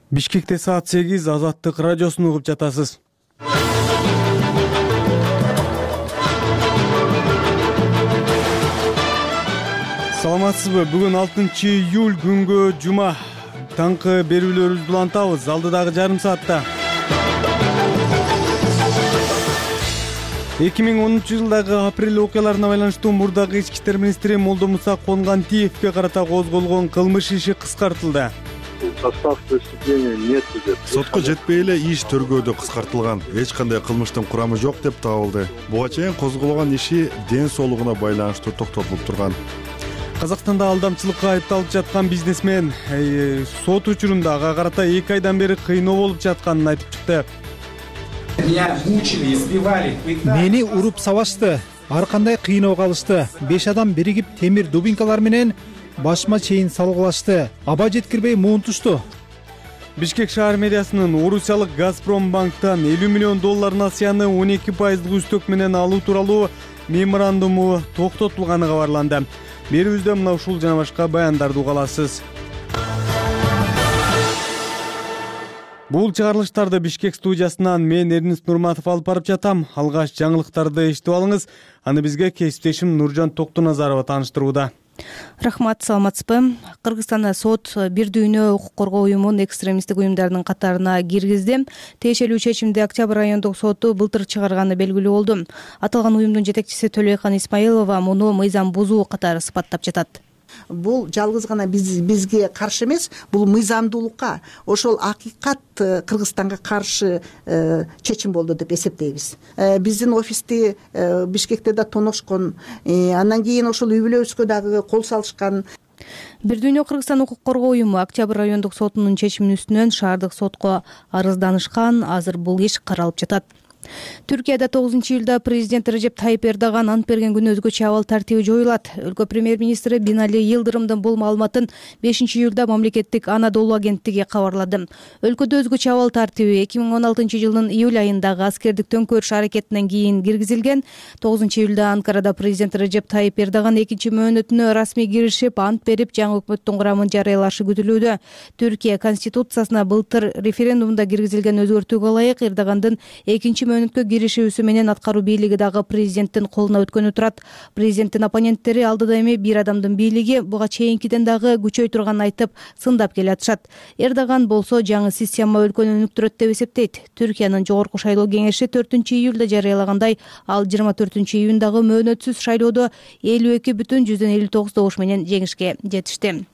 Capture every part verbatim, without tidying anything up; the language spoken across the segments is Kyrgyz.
Бишкекте саат сегиз, Азаттык радиосун угуп жатасыз. Саламатсызбы? Бүгүн алтынчы июль күнгө жума. Таңкы берүүлөрүбүздү улантабыз алдыдагы жарым саатта. эки миң онунчу жылдагы апрель окуяларына байланыштуу мурдагы ички иштер министри Молдомуса Конгантиевке карата козголгон кылмыш иши кыскартылды. Состав преступления нет деп. Сотко жетпей эле иш төргөөдө кыскартылган. Эч кандай кылмыштын курамы жок деп табылды. Буга чейин козголгон иши ден соолугуна байланыштуу токтотулуп турган. Казакстанда алдамчылыкка айыпталып жаткан бизнесмен сот учурунда ага карата эки айдан бери кыйноо болуп жатканын айтып чыкты. Мени уруп сабашты, ар кандай кыйноого алышты. беш адам биригип темир дубинкалар менен башыма чейин салгылашты. Аба жеткирбей муунтушту. Бишкек шаар мэриясынын Орусиялык Газпромбанктан элүү миллион доллар насыяны он эки пайыздык үстөк менен алуу тууралуу меморандуму токтотулганы кабарланды. Берүүбүздө мына ушул жана башка баяндарды уга аласыз. Бул чыгарылыштарды Бишкек студиясынан мен Эрнис Нурматов алып барып жатам. Алгач жаңылыктарды эшитип алыңыз. Аны бизге кесиптешим Нуржан Токтуназарова тааныштырууда. Рахмат, саламатсызбы? Кыргызстанда сот бир дүйнө укук коргоо уюмун экстремисттик уюмдардын катарына киргизди. Тиешелүү чечимди Октябрь райондук соту былтыр чыгарганы белгилүү болду. Аталган уюмдун жетекчиси Төлөйкан Исмаилова муну мыйзам бузуу катары сыпаттап жатат. Бул жалгыз гана биз бизге каршы эмес, бул мыйзамдуулукка, ошол акыйкат Кыргызстанга каршы э, чечим болду деп эсептейбиз. Э, биздин офисти э, Бишкекте да тоношкон, э, андан кийин ошол үй бүлөбүзгө дагы кол салышкан. Бир дүйнө Кыргызстан укук коргоо уюму Октябрь райондук сотунун чечиминин үстүнөн шаардык сотко арызданышкан. Азыр бул иш каралып жатат. Түркияда тогузунчу июлда президент Режеп Тайип Эрдоган ант берген күнү өзгөчө абал тартиби жоюлат. Өлкө премьер-министри Бинали Йылдырымдын бул маалыматын бешинчи июлда мамлекеттик Анадолу агенттиги кабарлады. Өлкөдө өзгөчө абал тартиби эки миң он алтынчы жылдын июль айындагы аскердик төңкөрүш аракетинен кийин киргизилген. тогузунчу июлда Анкарада президент Режеп Тайип Эрдоган экинчи мөөнөтүнө расмий киришип, ант берип, жаңы өкмөттүн курамын жарыялашы күтүлүүдө. Түркия конституциясына былтыр референдумда киргизилген өзгөртүүгө ылайык Эрдогандын экинчи мөөнөткө киришүүсү менен аткаруу бийлиги дагы президенттин колуна өткөнү турат. Президенттин оппоненттери алдыда эми бир адамдын бийлиги буга чейинкиден дагы күчөй турганын айтып, сындап келатышат. Эрдоган болсо жаңы система өлкөнү өнүктүрөт деп эсептейт. Түркиянын жогорку шайлоо кеңеши төртүнчү июлда жарыялагандай, ал жыйырма төртүнчү июндагы мөөнөтсүз шайлоодо элүү эки бүтүн жүздөн элүү тогуз добуш менен жеңишке жетишти.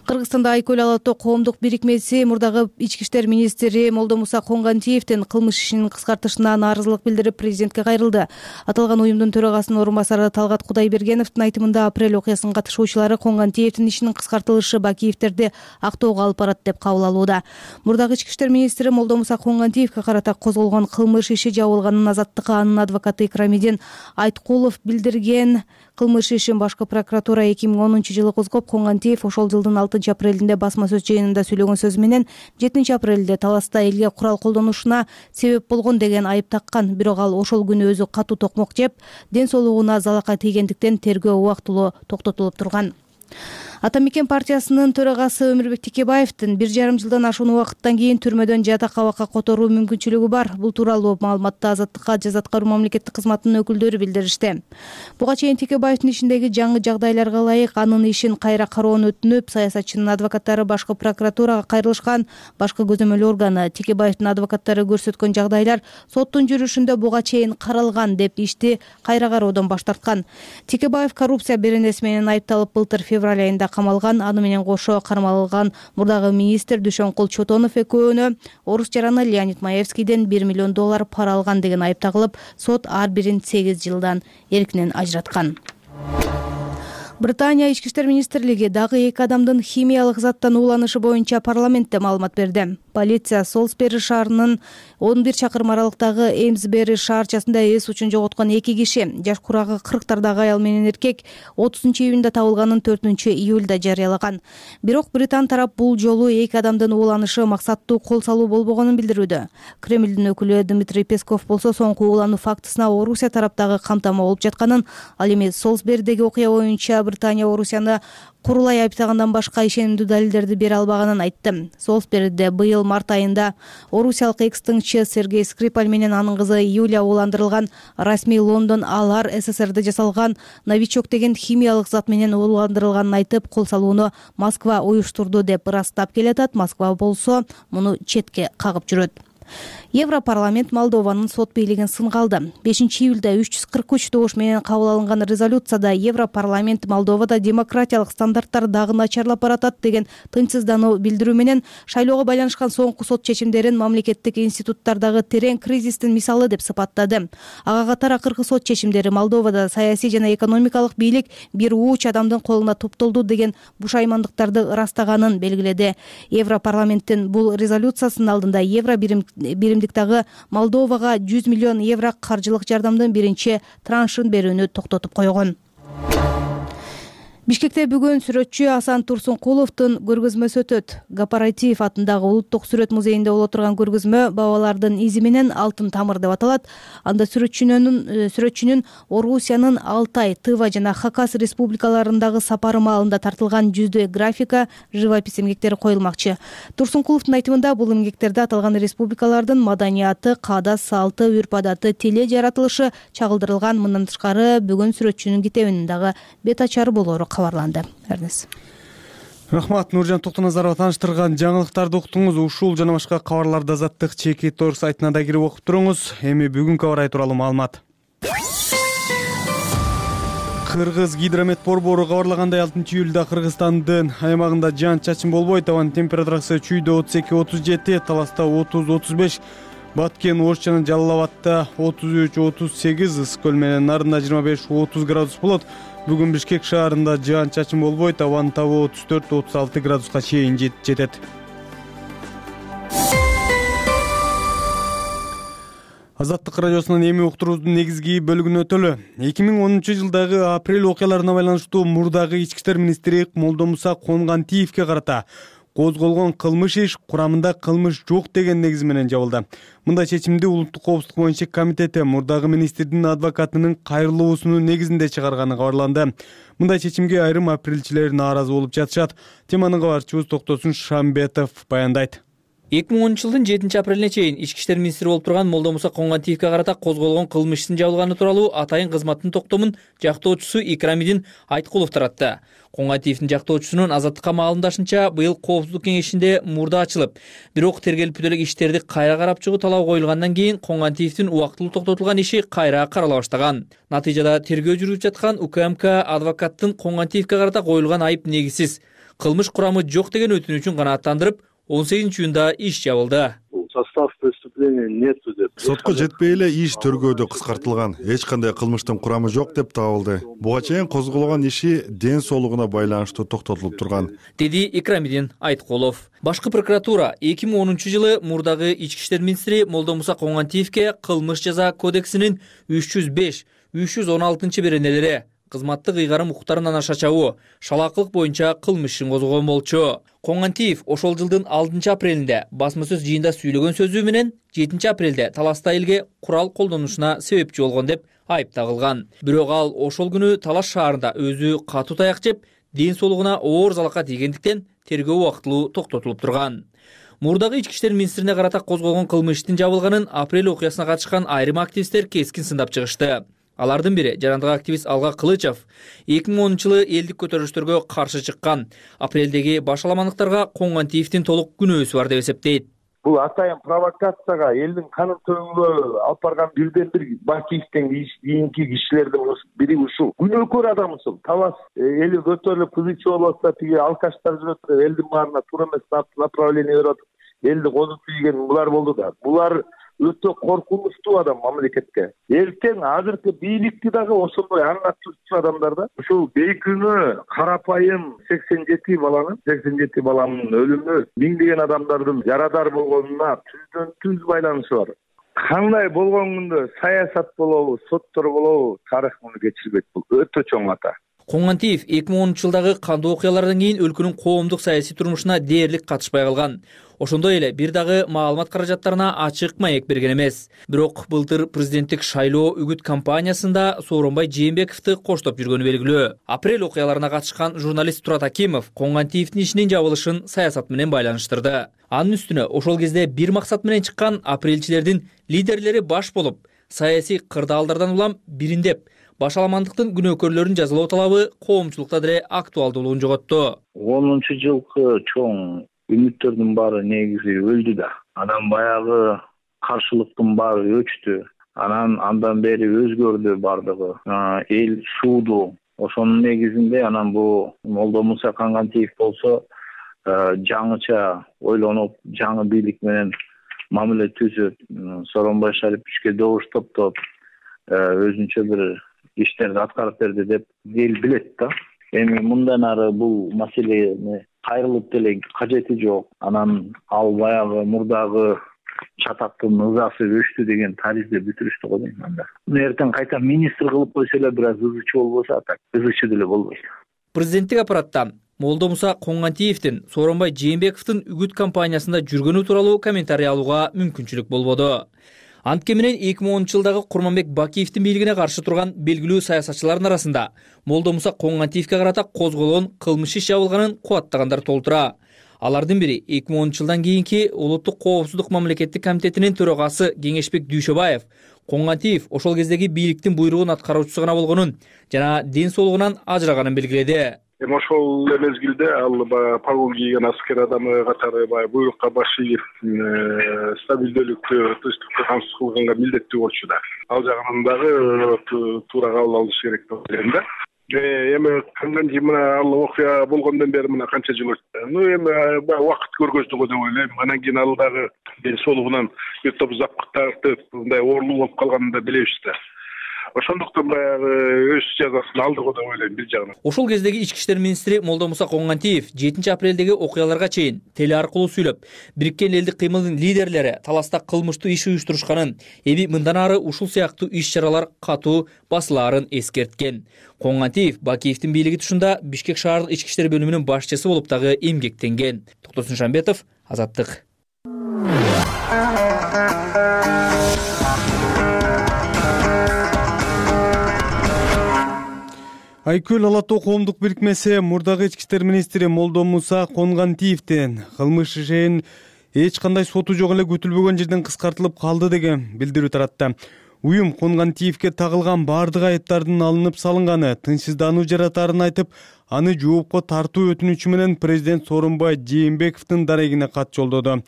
Кыргызстанда Айкөл ала тоо коомдук бирикмеси мурдагы ички иштер министри Молдомуса Конгантиевдин кылмыш ишинин кыскартышына нааразылык билдирип президентке кайрылды. Аталган уюмдун төрагасынын орун басары Талгат Кудайбергеновдун айтымында апрель окуясынын катышуучулары Конгантиевдин ишинин кыскартылышы Бакиевтерди актоого алып барат деп кабыл алууда. Мурдагы ички иштер министри Молдомуса Конгантиевке карата козголгон кылмыш иши жабылганын Азаттыкка анын адвокаты Икрамидин Айткулов билдирген. Кылмыш ишин башкы прокуратура эки миң онунчу жылы козгоп, Конгантиев ошол жылдын алтынчы апрелинде басма сөз жыйынында сүйлөгөн сөзү менен жетинчи апрелде Таласта элге курал колдонушуна себеп болгон деген айып таккан. Бирок ал ошол күнү өзү катуу токмок жеп, ден соолугуна залака тийгендиктен тергөө убактылуу токтотулуп турган. Ата мекен партиясынын төрагасы Өмүрбек Текебаевдин бир жарым жылдан ашуун убакыттан кийин түрмөдөн жатак абакка которуу мүмкүнчүлүгү бар. Бул тууралуу маалыматты Азаттыкка жаза аткаруу мамлекеттик кызматынын өкүлдөрү билдиришти. Буга чейин Текебаевдин ишиндеги жаңы жагдайларга ылайык анын ишин кайра кароону өтүнүп, саясатчынын адвокаттары башкы прокуратурага кайрылышкан. Башкы көзөмөл органы Текебаевдин адвокаттары көрсөткөн жагдайлар соттун жүрүшүндө буга чейин каралган деп ишти кайра кароодон баш тарткан. Текебаев коррупция беренеси менен айыпталып былтыр февраль айында камалган. Аны менен кошо кармалган мурдагы министр Дүйшөнкул Чотонов экөөнө орус жараны Леонид Маевскийден бир миллион доллар пара алган деген айып тагылып, сот ар бирин сегиз жылдан эркинен ажыраткан. Британия ички иштер министрлиги дагы эки адамдын химиялык заттан ууланышы боюнча парламентте маалымат берди. Полиция Солсбери шаарынын он бир чакырым аралыктагы Эймсбери шаарчасында эс учун жоготкон эки киши, жаш курагы кырктардагы аял менен эркек отузунчу июнда табылганын төртүнчү июлда жарыялаган. Бирок Британ тарап бул жолу эки адамдын ууланышы максаттуу кол салуу болбогонун билдирүүдө. Кремлдин өкүлү Дмитрий Песков болсо соңку уулануу фактысына Орусия тараптагы камтама болуп жатканын, ал эми Солсберидеги окуя боюнча Британия Орусияны курулай айыптагандан башка ишенимдүү далилдерди бере албаганын айтты. Солсберде быйыл март айында орусиялык экс-тыңчы Сергей Скрипаль менен анын кызы Юлия ууландырылган. Расмий Лондон алар СССРде жасалган новичок деген химиялык зат менен ууландырылганын айтып, кол салууну Москва уюштурду деп ырастап келатат. Москва болсо муну четке кагып жүрөт. Европарламент Молдованын сот бийлигин сынга алды. бешинчи июлда үч жүз кырк үч добуш менен кабыл алынган резолюцияда Европарламент Молдовада демократиялык стандарттар дагы начарлап баратат деген тынчсыздануу билдирүү менен шайлоого байланышкан соңку сот чечимдерин мамлекеттик институттардагы терең кризистин мисалы деп сыпаттады. Ага катар акыркы сот чечимдери Молдовада саясий жана экономикалык бийлик бир ууч адамдын колуна топтолду деген бушаймандыктарды ырастаганын белгиледи. Европарламенттин бул резолюциясынын алдында евро бирим биримдиктагы Молдовага жүз миллион евро каржылык жардамдын биринчи траншын берүүнү токтотуп койгон. Бишкекте бүгүн сүрөтчү Асан Турсункуловдун көргөзмөсү өтөт. Гапаратиев атындагы Улуттук сүрөт музейинде боло турган көргөзмө бабалардын изи менен алтын тамыр деп аталат. Анда сүрөтчүнүн сүрөтчүнүн Орусиянын Алтай, Тыва жана Хакас республикаларындагы сапары маалында тартылган жүздөй графика, живопись эмгектери коюлмакчы. Турсункуловдун айтымында бул эмгектерде аталган республикалардын маданияты, каада салты, үрп-адаты, тили жаратылышы чагылдырылган. Мындан тышкары бүгүн сүрөтчүнүн китебинин дагы бет ачары болору кабарланды. Эрнес. Рахмат, Нуржан Токтоназарова тааныштырган жаңылыктарды уктуңуз. Ушул жана башка кабарларды Азаттык Чеки Тор сайтына да кирип окуп туруңуз. Эми бүгүнкү аба ырайы тууралуу маалымат. Кыргыз гидромет борбору кабарлагандай алтынчы июлда Кыргызстандын аймагында жаан-чачын болбойт. Абанын температурасы Чүйдө отуз эки отуз жети, Таласта отуз отуз беш, Баткен, Ош жана Жалал Абадта отуз үч отуз сегиз, Ысык көл менен Нарында жыйырма беш отуз градус болот. Бүгүн Бишкек шаарында жаан-чачын болбойт. Абанын табы отуз төрт отуз алты градуска чейин жетет. Азаттык радиосунун эми уктуруубуздун негизги бөлүгүнө өтөлү. эки миң онунчу жылдагы апрель окуяларына байланыштуу мурдагы ички иштер министри Молдомуса Конгантиевке карата козголгон кылмыш иш курамында кылмыш жок деген негиз менен жабылды. Мындай чечимди Улуттук коопсуздук боюнча комитети мурдагы министрдин адвокатынын кайрылуусунун негизинде чыгарганы кабарланды. Мындай чечимге айрым апрелчилер нааразы болуп жатышат. Теманын кабарчыбыз Токтосун Шамбетов баяндайт. эки миң онунчу жылдын жетинчи апрелине чейин ички иштер министри болуп турган Молдомуса Конгантиевке карата козголгон кылмыш ишин жабылганы тууралуу атайын кызматтын токтомун жактоочусу Икрамидин Айткулов таратты. Конгантиевдин жактоочусунун Азаттыкка маалымдашынча, быйыл коопсуздук кеңешинде мурда ачылып, бирок тергелип бүтө элек иштерди кайра карап чыгуу талабы коюлгандан кийин Конгантиевдин убактылуу токтотулган иши кайра карала баштаган. Натыйжада тергөө жүрүп жаткан УКМК адвокаттын Конгантиевке карата коюлган айып негизсиз, кылмыш курамы жок деген өтүнүчүн канааттандырып, он сегизинчи июнда иш жабылды. Состав преступления нету деп. Сотко жетпей эле иш тергөөдө кыскартылган, эч кандай кылмыштын курамы жок деп табылды. Буга чейин козголгон иши ден соолугуна байланыштуу токтотулуп турган, деди Икрамидин Айткулов. Башкы прокуратура эки миң онунчу жылы мурдагы ички иштер министри Молдомуса Конгантиевке кылмыш жаза кодексинин үч жүз беш үч жүз он алтынчы беренелери, кызматтык ыйгарым укуктарынан аша чабуу, шалаакылык боюнча кылмыш ишин козгогон болчу. Конгантиев ошол жылдын алтынчы апрелинде басма сөз жыйында сүйлөгөн сөзү менен жетинчи апрелде Таласта элге курал колдонушуна себепчи болгон деп айып тагылган. Бирок ал ошол күнү Талас шаарында өзү катуу таяк жеп, ден соолугуна оор залака тийгендиктен тергөө убактылуу токтотулуп турган. Мурдагы ички иштер министрине карата козголгон кылмыш иштин жабылганын апрель окуясына катышкан айрым активисттер кескин сындап чыгышты. Алардын бири жарандык активист Алга Кылычев эки миң онунчу жылы элдик көтөрүлүштөргө каршы чыккан. Апрелдеги башаламандыктарга Конгантиевдин толук күнөөсү бар деп эсептейт. Бул атайын провокацияга, элдин канын төгүүгө алып барган бирден бир Бакиевден кийинки кишилердин бири ушул. Күнөөкөр адам ушул. Талас эли көтөрүлүп кызычы болсо тиги алкаштар жүрөт, элдин баарына туура эмес направление берип атып, элди козуп ийген булар болду да. Булар өтө коркунучтуу адам мамлекетке. Эртең азыркы бийликти дагы ошондой аңгатчу адамдар да. Ушул бейкүнөө карапайым сексен жети баланын, сексен жети баланын өлүмү миңдеген адамдардын жарадар болгонуна түздөн түз байланышы бар. Кандай болгон күндө саясат болобу, соттор болобу, тарых муну кечирбейт. Бул өтө чоң ата. Коңгантиев эки миң онунчу жылдагы кандуу окуялардан кийин өлкөнүн коомдук саясий турмушуна дээрлик катышпай калган. Ошондой эле бир дагы маалымат каражаттарына ачык маек берген эмес. Бирок былтыр президенттик шайлоо үгүт кампаниясында Сооронбай Жээнбековду коштоп жүргөнү белгилүү. Апрель окуяларына катышкан журналист Турат Акимов Коңгантиевдин ишинин жабылышын саясат менен байланыштырды. Анын үстүнө ошол кезде бир максат менен чыккан апрелчилердин лидерлери баш болуп, саясий кырдаалдардан улам бириндеп, башаламандыктын күнөөкөрлөрүн жазалоо талабы коомчулукта деле актуалдуулугун жоготту. онунчу жылкы чоң үмүттөрдүн баары негизи өлдү да. Анан баягы каршылыктын баары өчтү. Анан андан бери өзгөрдү бардыгы. Эл сууду. Ошонун негизинде анан бу Молдомуса Коңгантиев болсо жаңыча ойлонуп, жаңы бийлик менен мамиле түзүп, Сооронбай Шариповичке добуш топтоп, өзүнчө бир иштерди аткарып берди деп эл билет да. Эми мындан ары бул маселени кайрылып деле кажети жок. Анан ал баягы мурдагы чатактын ызасы өчтү деген таризди бүтүрүштү го дейм анда. Эртең кайта министр кылып койсо эле бир аз ызычы болбосо, так ызычы деле болбойт. Президенттик аппараттан Молдомуса Коңгантиевдин Сооронбай Жээнбековдун үгүт кампаниясында жүргөнү тууралуу комментарий алууга мүмкүнчүлүк болбоду. Антке менен эки миң онунчу жылдагы Курманбек Бакиевдин бийлигине каршы турган белгилүү саясатчылардын арасында Молдомуса Коңгантиевге карата козголгон кылмыш иш жабылганын кубаттагандар толтура. Алардын бири эки миң онунчу жылдан кийинки Улуттук коопсуздук мамлекеттик комитетинин төрагасы Кеңешбек Дүйшөбаев Коңгантиев ошол кездеги бийликтин буйругун аткаруучусу гана болгонун жана ден соолугунан ажыраганын белгиледи. Эми ошол мезгилде ал баягы погон кийген аскер адамы катары баягы буйрукка баш ийип, стабилдүүлүктү, тынчтыкты камсыз кылганга милдеттүү болчу да. Ал жагынан дагы туура кабыл алыш керек деп ойлойм да. Эми Коңгантиев мына ал окуя болгондон бери мына канча жыл өттү. Ну эми баягы убакыт көргөздү го деп ойлойм. Анан кийин ал дагы ден соолугунан бир топ запкыт тартып, мындай оорлуу болуп калганын да билебиз да. Ошондуктан баягы өз жазасын алды го деп ойлойм бир жагынан. Ошол кездеги ички иштер министри Молдомуса Коңгантиев жетинчи апрелдеги окуяларга чейин теле аркылуу сүйлөп, Бириккен элдик кыймылдын лидерлери таласта кылмыштуу иш уюштурушканын, эми мындан ары ушул сыяктуу иш-чаралар катуу басылаарын эскерткен. Коңгантиев Бакиевдин бийлиги тушунда Бишкек шаардык ички иштер бөлүмүнүн башчысы болуп дагы эмгектенген. Токтосун Шамбетов, Азаттык. Айкөл Ала Тоо коомдук бирикмеси мурдагы ички иштер министри Молдомуса Коңгантиевдин кылмыш ишин эч кандай соту жок эле күтүлбөгөн жерден кыскартылып калды деген билдирүү таратты. Уюм Коңгантиевге тагылган бардык айыптардын алынып салынганы, тынчсыздануу жаратаарын айтып, аны жоопко тартуу өтүнүчү менен президент Сооронбай Жээнбековдун дарегине кат жолдоду.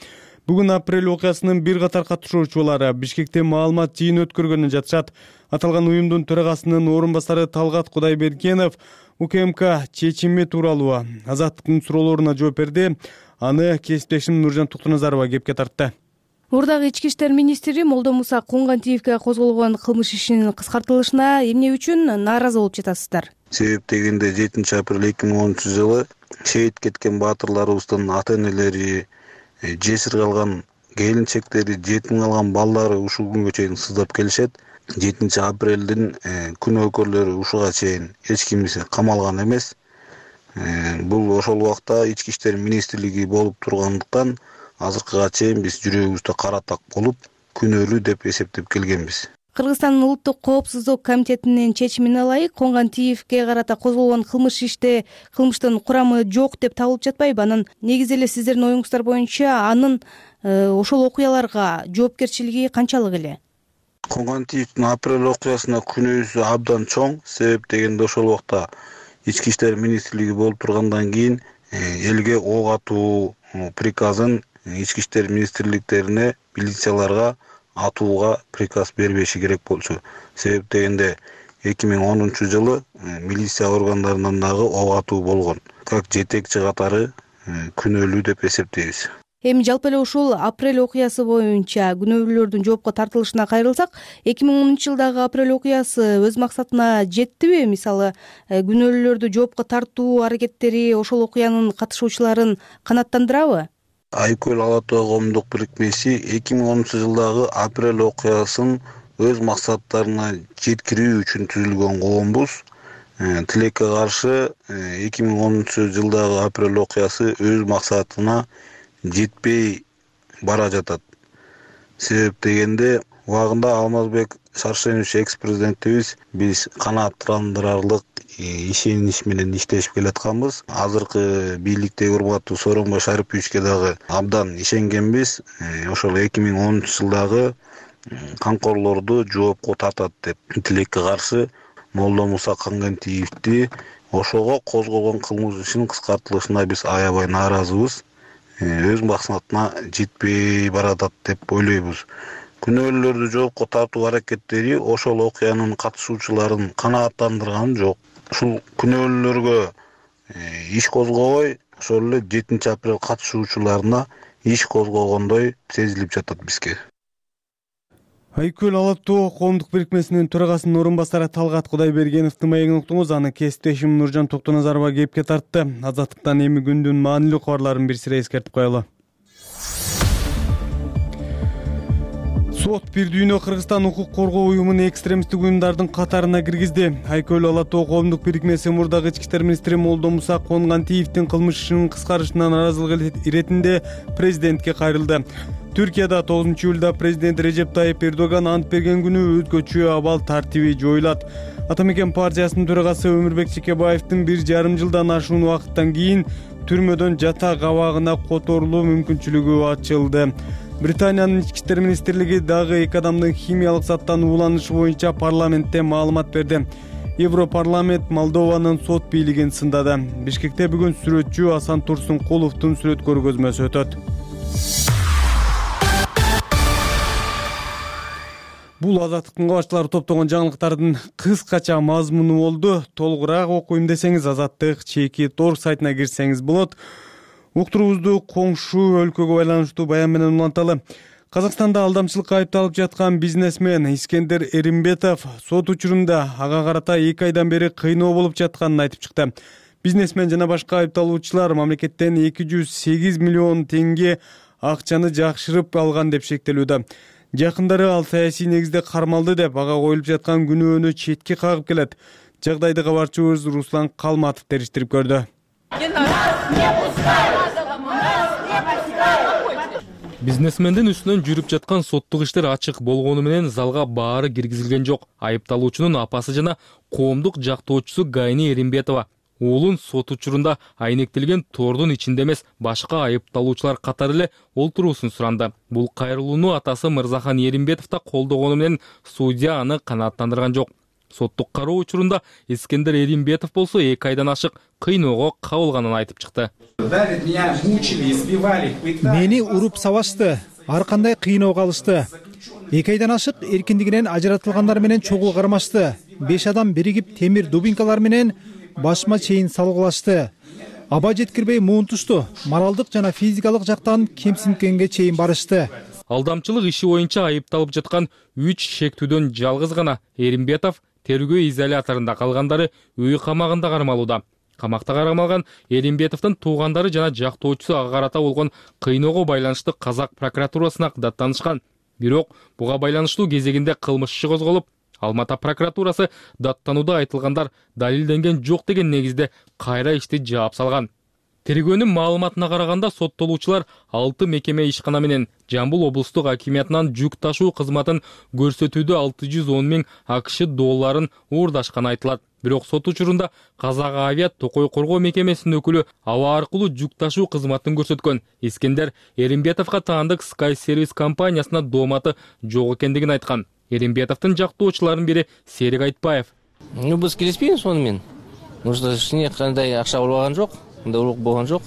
Бүгүн апрель окуясынын бир катар катышуучулары Бишкекте маалымат жыйын өткөргөнү жатышат. Аталган уюмдун төрагасынын орун басары Талгат Кудайбергенов УКМК чечими тууралуу Азаттыктын суроолоруна жооп берди. Аны кесиптешим Нуржан Токтоназарова кепке тартты. Мурдагы ички иштер министри Молдомуса Коңгантиевге козголгон кылмыш ишинин кыскартылышына эмне үчүн нааразы болуп жатасыздар? Себеп дегенде жетинчи апрель эки миң онунчу жылы шейит кеткен баатырларыбыздын ата-энелери, жесир калган келинчектери, жетим калган балдары ушул күнгө чейин сыздап келишет. жетинчи апрелдин күнөөкөрлөрү ушуга чейин эч кимиси камалган эмес. Бул ошол убакта ички иштер министрлиги болуп тургандыктан азыркыга чейин биз жүрөгүбүздө кара так болуп, күнөөлүү деп эсептеп келгенбиз. Кыргызстандын Улуттук коопсуздук комитетинин чечимине ылайык Коңгантиевге карата козголгон кылмыш иште кылмыштын курамы жок деп табылып жатпайбы? Анан негизи эле сиздердин оюңуздар боюнча анын ошол окуяларга жоопкерчилиги канчалык эле? Коңгантиевдин апрель окуясына күнөөсү абдан чоң. Себеп дегенде ошол убакта ички иштер министрлиги болуп тургандан кийин элге ок атуу приказын ички иштер министрликтерине, милицияларга атууга приказ бербеши керек болчу. Себеп дегенде эки миң онунчу жылы милиция органдарынан дагы ок атуу болгон. Как жетекчи катары күнөөлүү деп эсептейбиз. Эми жалпы эле ушул апрель окуясы боюнча күнөөлүүлөрдүн жоопко тартылышына кайрылсак, эки миң онунчу жылдагы апрель окуясы өз максатына жеттиби? Мисалы, күнөөлүүлөрдү жоопко тартуу аракеттери ошол окуянын катышуучуларын канааттандырабы? Айкөл Ала Тоо коомдук бирикмеси эки миң онунчу жылдагы апрель окуясын өз максаттарына жеткирүү үчүн түзүлгөн коомбуз. Тилекке каршы эки миң онунчу жылдагы апрель окуясы өз максатына жетпей бара жатат. Себеп дегенде убагында Алмазбек Шаршенович экс-президентибиз биз канааттандырарлык ишенич менен иштешип келатканбыз. Азыркы бийликтеги урматтуу Сооронбай Шариповичке дагы абдан ишенгенбиз. Ошол эки миң онунчу жылдагы камкорлорду жоопко тартат деп тилекке каршы Молдо Муса Кангентиевди ошого козгогон кылмыш ишинин кыскартылышына биз аябай нааразыбыз. Өз максатына жетпей баратат деп ойлойбуз. Күнөөлөрдү жоопко тартуу аракеттери ошол окуянын катышуучуларын канааттандырган жок. Ушул күнөөлөргө иш козгобой, ошол эле жетинчи апрель катышуучуларына иш козгогондой сезилип жатат бизге. Айкөл Ала Тоо коомдук бирикмесинин төрагасынын орун басары Талгат Кудайбергеновдун маегин уктуңуз. Анын кесиптешим Нуржан Токтоназарова кепке тартты. Азаттыктан эми күндүн маанилүү кабарларын бир сире эскертип коелу. Сот бир дүйнө Кыргызстан укук коргоо уюмун экстремисттик уюмдардын катарына киргизди. Айкөл Ала Тоо коомдук бирикмеси мурдагы ички иштер министри Молдо Муса Конгантиевдин кылмыш ишинин кыскарышына нааразылык иретинде президентке кайрылды. Түркияда тогузунчу июлда президент Режеп Тайип Эрдоган ант берген күнү өзгөчө абал тартиби жоюлат. Атамекен партиясынын төрагасы Өмүрбек Чекебаевдин бир жарым жылдан ашуун убакыттан кийин түрмөдөн жатак абагына которулуу мүмкүнчүлүгү ачылды. Британиянын ички иштер министрлиги дагы эки адамдын химиялык заттан ууланышы боюнча парламентте маалымат берди. Европарламент Молдованын сот бийлигин сындады. Бишкекте бүгүн сүрөтчү Асан Турсункуловдун сүрөт көргөзмөсү өтөт. Бул Азаттыктын кабарчылары топтогон жаңылыктардын кыскача мазмуну болду. Толугураак окуйм десеңиз Азаттык чеки торг сайтына кирсеңиз болот. Уктуруубузду коңшу өлкөгө байланыштуу баян менен уланталы. Казакстанда алдамчылыкка айыпталып жаткан бизнесмен Искендер Эримбетов сот учурунда ага карата эки айдан бери кыйноо болуп жатканын айтып чыкты. Бизнесмен жана башка айыпталуучулар мамлекеттен эки жүз сегиз миллион теңге акчаны жакшырып алган деп шектелүүдө. Жакындары ал саясий негизде кармалды деп ага коюлуп жаткан күнөөнү четке кагып келет. Жагдайды кабарчыбыз Руслан Калматов териштирип көрдү. Бизнесмендин үстүнөн жүрүп жаткан соттук иштер ачык болгону менен залга баары киргизилген жок. Айыпталуучунун апасы жана коомдук жактоочусу Гайни Эримбетова уулун сот учурунда айнектелген тордун ичинде эмес, башка айыпталуучулар катары эле олтуруусун суранды. Бул кайрылууну атасы Мырзахан Эримбетов да колдогону менен судья аны канааттандырган жок. Соттук кароо учурунда Искендер Эримбетов болсо эки айдан ашык кыйноого кабылганын айтып чыкты. Мени уруп сабашты, ар кандай кыйноого алышты. эки айдан ашык эркиндигинен ажыратылгандар менен чогуу кармашты. беш адам биригип темир дубинкалар менен башыма чейин салгылашты. Аба жеткирбей муунтушту. Моралдык жана физикалык жактан кемсинткенге чейин барышты. Алдамчылык иши боюнча айыпталып жаткан үч шектүүдөн жалгыз гана Эримбетов тергөө изоляторунда, калгандары үй камагында кармалууда. Камакта кармалган Эримбетовдун туугандары жана жактоочусу ага карата болгон кыйноого байланыштуу Казак прокуратурасына даттанышкан. Бирок буга байланыштуу кезегинде кылмыш иши козголуп, Алматы прокуратурасы даттанууда айтылгандар далилденген жок деген негизде кайра ишти жаап салган. Тергөөнүн маалыматына караганда соттолуучулар алты мекеме ишкана менен Жамбыл облустук акимиятынан жүк ташуу кызматын көрсөтүүдө алты жүз он миң АКШ долларын уурдашканы айтылат. Бирок сот учурунда Казак авиа Токой коргоо мекемесинин өкүлү аба аркылуу жүк ташуу кызматын көрсөткөн Искендер Эримбетовго таандык Sky Service компаниясына дооматы жок экендигин айткан. Эримбетовдун жактоочуларынын бири Серик Айтбаев. Ну, биз келиспейбиз ону менен. Может, эч кандай акча болбогон жок, мындай улук болгон жок.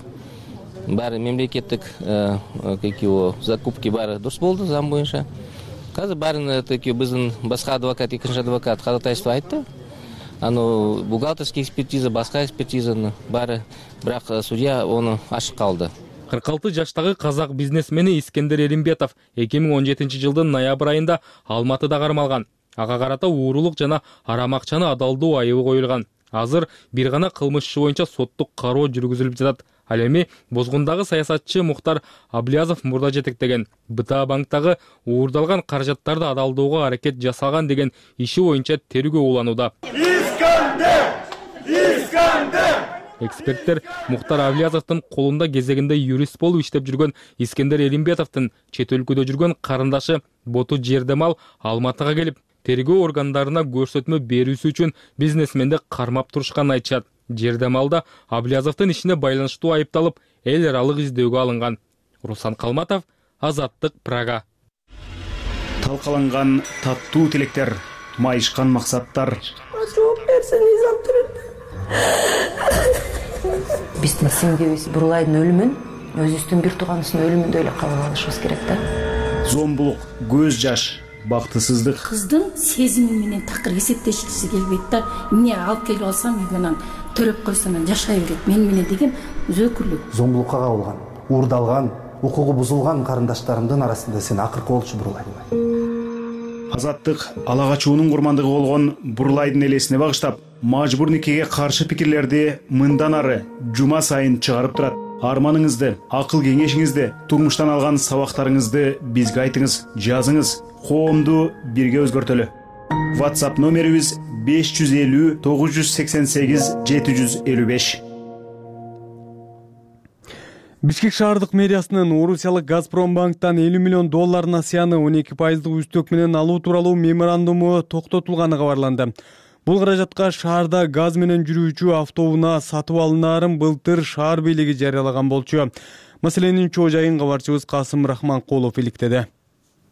Баары мемлекеттик как его закупки баары дурус болду зам боюнча. Азыр баарын такие биздин башка адвокат, экинчи адвокат Кадатаевство айтты. Аны бухгалтерский экспертиза, башка экспертизаны баары, бирок судья ону ачык калды. кырк алты жаштагы казак бизнесмени Искендер Эримбетов эки миң он жетинчи жылдын ноябрь айында Алматыда кармалган. Ага карата уурулук жана арам акчаны адалдоо айыбы коюлган. Азыр бир гана кылмыш иши боюнча соттук кароо жүргүзүлүп жатат. Ал эми Бозгундагы саясатчы Мухтар Аблязов мурда жетектеген БТА банктагы уурдалган каражаттарды адалдоого аракет жасалган деген иши боюнча тергөө уланууда. Искендер! Искандер. Эксперттер Муктар Авлиязовдун колунда кезегинде юрист болуп иштеп жүргөн Искендер Элимбетовдун чет өлкөдө жүргөн карындашы Боту Жердемал Алматыга келип, тергөө органдарына көрсөтмө берүүсү үчүн бизнесменди кармап турушканын айтышат. Жердемалда Авлиязовдун ишине байланыштуу айыпталып, эл аралык издөөгө алынган. Руслан Калматов, Азаттык, Прага. Талкаланган таттуу тилектер, майышкан максаттар. Биздин сиңдибиз Бурлайдын өлүмүн өзүбүздүн бир тууганыбыздын өлүмүндөй эле кабыл алышыбыз керек да. Зомбулук, көз жаш, бактысыздык. Кыздын сезими менен такыр эсептешкиси келбейт да. Эмне алып келип алсам, үйгөнөн төрөп койсом жашай берет мен менен деген зөөкүрлүк. Зомбулукка кабылган, уурдалган, укугу бузулган карындаштарымдын арасында сен акыркы болчу Бурлайдын. Азаттык ала качуунун курмандыгы болгон Бурлайдын элесине багыштап, мажбур никеге каршы пикирлерди мындан ары жума сайын чыгарып турат. Арманыңызды, акыл кеңешиңизди, турмуштан алган сабактарыңызды бизге айтыңыз, жазыңыз, коомду бирге өзгөртөлү. WhatsApp номерибиз беш жүз элүү тогуз жүз сексен сегиз жети жүз элүү беш. Бишкек шаардык мэриясынын Орусиялык Газпромбанктан элүү миллион доллар насыяны он эки пайыздык үстөк менен алуу тууралуу меморандуму токтотулганы кабарланды. Бул каражатка шаарда газ менен жүрүүчү автобуна сатып алынаарын былтыр шаар бийлиги жарыялаган болчу. Маселенин чоо жайын кабарчыбыз Касым Рахманкулов иликтеди.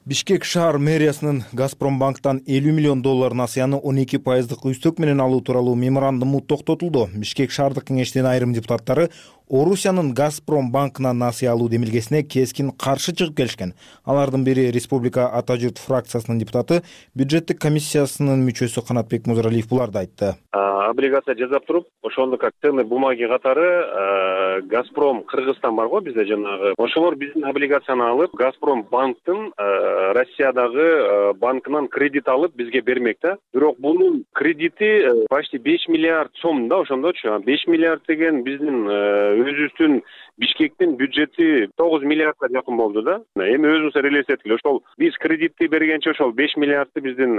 Бишкек шаар мэриясынын Газпромбанктан элүү миллион доллар насыяны он эки пайыздык үстөк менен алуу тууралуу меморандуму токтотулду. Бишкек шаардык кеңештин айрым депутаттары Орусиянын Газпромбанкына насыя алуу демилгесине кескин каршы чыгып келишкен. Алардын бири Республика Ата журт фракциясынын депутаты, бюджеттик комиссиясынын мүчөсү Канатбек Музаралиев буларды айтты. Облигация жасап туруп, ошондо как ценный бумаги катары Газпром Кыргызстан бар го бизде жанагы. Ошолор биздин облигацияны алып, Газпромбанктын Россиядагы банкынан кредит алып бизге бермек да. Бирок бунун кредити почти беш миллиард сом да, ошондочу. беш миллиард деген биздин өзүбүздүн Бишкектин бюджети тогуз миллиардга жакын болду да. Эми өзүбүз элестеткиле, ошол биз кредитти бергенче ошол беш миллиардты биздин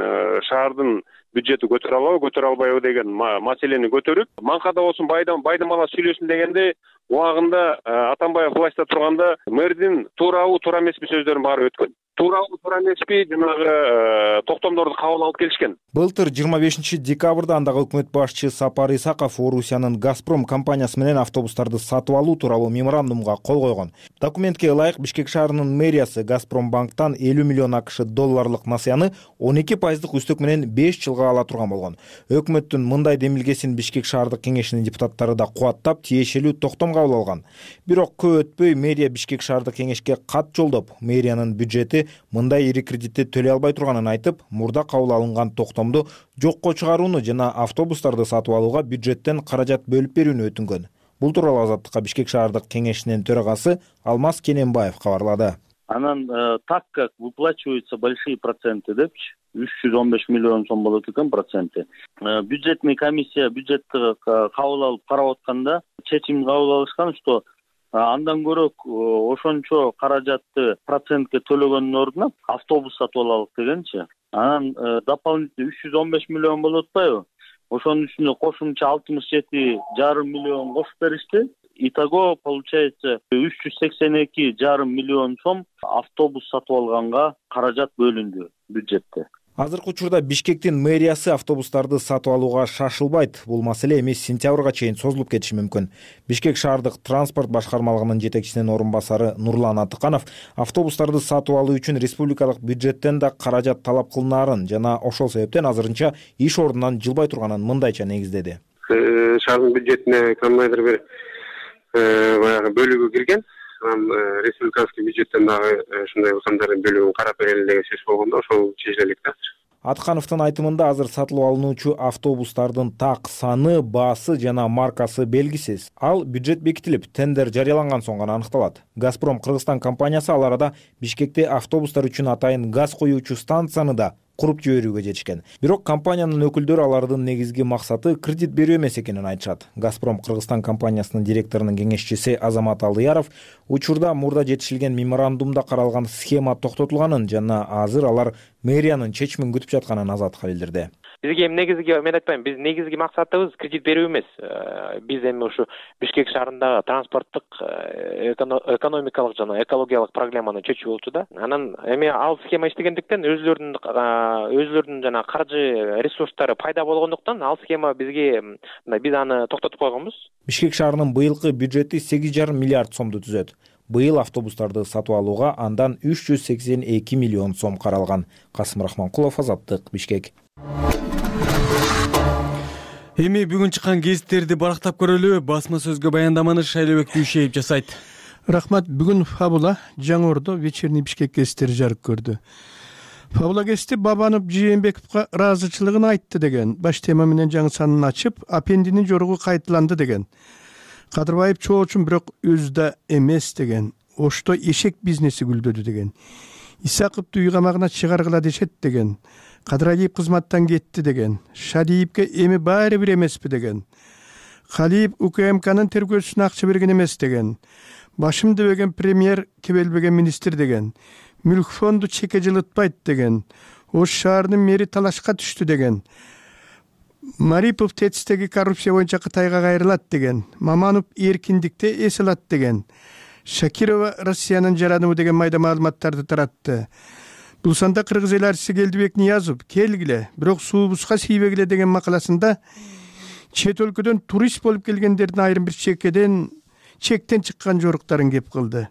шаардын бюджети көтөрө алабы, көтөрө албайбы деген маселени көтөрүп, манкада болсун, байдам байдам ала сүйлөсүн дегенде, убагында Атамбаев властьта турганда мэрдин туурабы, туура эмеспи сөздөрүн баары өткөн. Туурабы, туура эмеспи жанагы токтомдорду кабыл алып келишкен. Былтыр жыйырма бешинчи декабрда андагы өкмөт башчы Сапар Исаков Орусиянын Газпром компаниясы менен автобустарды сатып алуу тууралуу меморандумга кол койгон. Документке ылайык Бишкек шаарынын мэриясы Газпромбанктан элүү миллион акш долларлык насыяны он эки пайыздык үстөк менен беш жылга ала турган болгон. Өкмөттүн мындай демилгесин Бишкек шаардык кеңешинин депутаттары да кубаттап, тиешелүү токтом кабыл алган. Бирок көп өтпөй мэрия Бишкек шаардык кеңешке кат жолдоп, мэриянын бюджети мындай ири кредитти төлөй албай турганын айтып, мурда кабыл алынган токтомду жокко чыгарууну жана автобустарды сатып алууга бюджеттен каражат бөлүп берүүнү өтүнгөн. Бул тууралуу Азаттыкка Бишкек шаардык кеңешинин төрагасы Алмаз Кененбаев кабарлады. Анан так как выплачиваются большие проценты депчи, үч жүз он беш миллион сом болот экен проценти. Бюджетный комиссия бюджетти кабыл алып карап атканда чечим кабыл алышкан, что андан көрөк ошончо каражатты процентке төлөгөндүн ордуна автобус сатып алалык дегенчи. Анан дополнительно үч жүз он беш миллион болуп атпайбы? Ошонун үстүнө кошумча алтымыш жети жарым миллион кошуп беришти. Итого получается үч жүз сексен эки жарым миллион сом автобус сатып алганга каражат бөлүндү бюджетте. Азыркы учурда Бишкектин мэриясы автобустарды сатып алууга шашылбайт. Бул маселе эми сентябрга чейин созулуп кетиши мүмкүн. Бишкек шаардык транспорт башкармалыгынын жетекчисинин орун басары Нурлан Атыканов автобустарды сатып алуу үчүн республикалык бюджеттен да каражат талап кылынаарын жана ошол себептен азырынча иш ордунан жылбай турганын мындайча негиздеди. Шаардын бюджетине кандайдыр бир баягы бөлүгү кирген. Республиканский бюджеттен дагы ушундай ыкымдардын бөлүгүн карап берели деген сөз болгондо ошол чечилет да. Аткановдун айтымында азыр сатылып алынуучу автобустардын так саны, баасы жана маркасы белгисиз. Ал бюджет бекитилип, тендер жарыяланган соң гана аныкталат. Газпром Кыргызстан компаниясы ал арада Бишкекте автобустар үчүн атайын газ коюучу станцияны да куруп жиберүүгө жетишкен. Бирок компаниянын өкүлдөрү алардын негизги максаты кредит берүү эмес экенин айтышат. Газпром Кыргызстан компаниясынын директорунун кеңешчиси Азамат Алдыяров учурда мурда жетишилген меморандумда каралган схема токтотулганын жана азыр алар мэриянын чечимин күтүп жатканын Азаттыкка билдирди. бизге эми негизги мен айтпайм, биз негизги максатыбыз кредит берүү эмес. Биз эми ушу Бишкек шаарындагы транспорттук, экономикалык жана экологиялык проблеманы чечүү болчу да. Анан эми ал схема иштегендиктен өзүлөрүнүн өзүлөрүнүн жана каржы ресурстары пайда болгондуктан ал схема бизге биз аны токтотуп койгонбуз. Бишкек шаарынын быйылкы бюджети сегиз жарым миллиард сомду түзөт. Быйыл автобустарды сатып алууга андан үч жүз сексен эки миллион сом каралган. Касым Рахманкулов, Азаттык, Бишкек. Эми бүгүн чыккан гезиттерди барактап көрөлү. Басма сөзгө баяндаманы Шайлебек Дүйшеев жасайт. Рахмат. Бүгүн Фабула Жаңы Ордо вечерний Бишкек гезиттери жарык көрдү. Фабула гезити Бабанов Жээнбековго ыраазычылыгын айтты деген баш тема менен жаңы санын ачып, аппендинин жоругу кайталанды деген. Кадырбаев чоочун бирок өзү да эмес деген. Ошто эшек бизнеси гүлдөдү деген. Исаковду үй камагына чыгаргыла дешет деген. Кадыралиев кызматтан кетти деген. Шадиевге эми баары бир эмеспи деген. Калиев УКМКнын тергөөсүнө акча берген эмес деген. Башым дебеген премьер, кебелбеген министр деген. Мүлк фонду чеке жылытпайт деген. Ош шаарынын мэри талашка түштү деген. Марипов ТЭЦтеги коррупция боюнча Кытайга кайрылат деген. Маманов эркиндикте эс алат деген. Шакирова Россиянын жараныбы деген майда маалыматтарды таратты. Бул санда кыргыз эл арчысы Келдибек Ниязов келгиле, бирок суубузга тийбегиле деген макаласында чет өлкөдөн турист болуп келгендердин айрым бир чекеден чектен чыккан жоруктарын кеп кылды.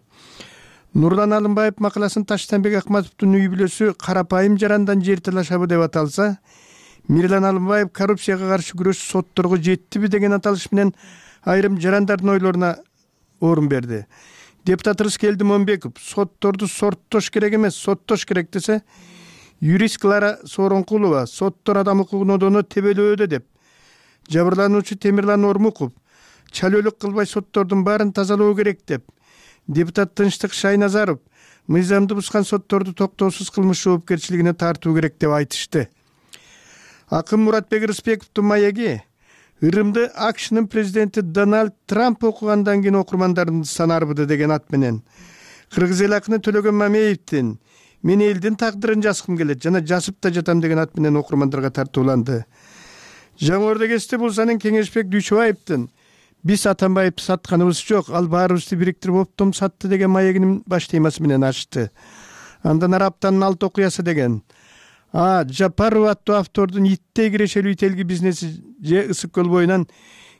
Нурлан Алымбаев макаласын Таштанбек Акматовдун үй бүлөсү карапайым жарандан жер талашабы деп аталса, Мирлан Алымбаев коррупцияга каршы күрөш сотторго жеттиби деген аталыш менен айрым жарандардын ойлоруна орун берди. Депутат Рыскелди Момбеков сотторду сорттош керек эмес, соттош керек десе, юрист Клара Сооронкулова соттор адам укугун одоно тебелөөдө деп, жабырлануучу Темирлан Ормуков чалөөлүк кылбай соттордун баарын тазалоо керек деп, депутат Тынчтык Шайназаров мыйзамды бузган сотторду токтоосуз кылмыш жоопкерчилигине тартуу керек деп айтышты. Акын Муратбек Рыспековдун маеги Ырымды АКШнын президенти Дональд Трамп окугандан кийин окурмандардын саны арбыды деген ат менен кыргыз эл акыны Төлөгөн Мамеевдин мен элдин тагдырын жазгым келет жана жазып да жатам деген ат менен окурмандарга тартууланды. Жаңы Ордо гезити Булсанын Кеңешбек Дүйчөбаевдин биз Атамбаевди сатканыбыз жок, ал баарыбызды бириктирип оптом сатты деген маегинин баш темасы менен ачты. Андан ары аптанын алты окуясы деген. А Жапаров аттуу автордун иттей кирешелүү ителги бизнеси же Ысык көл боюнан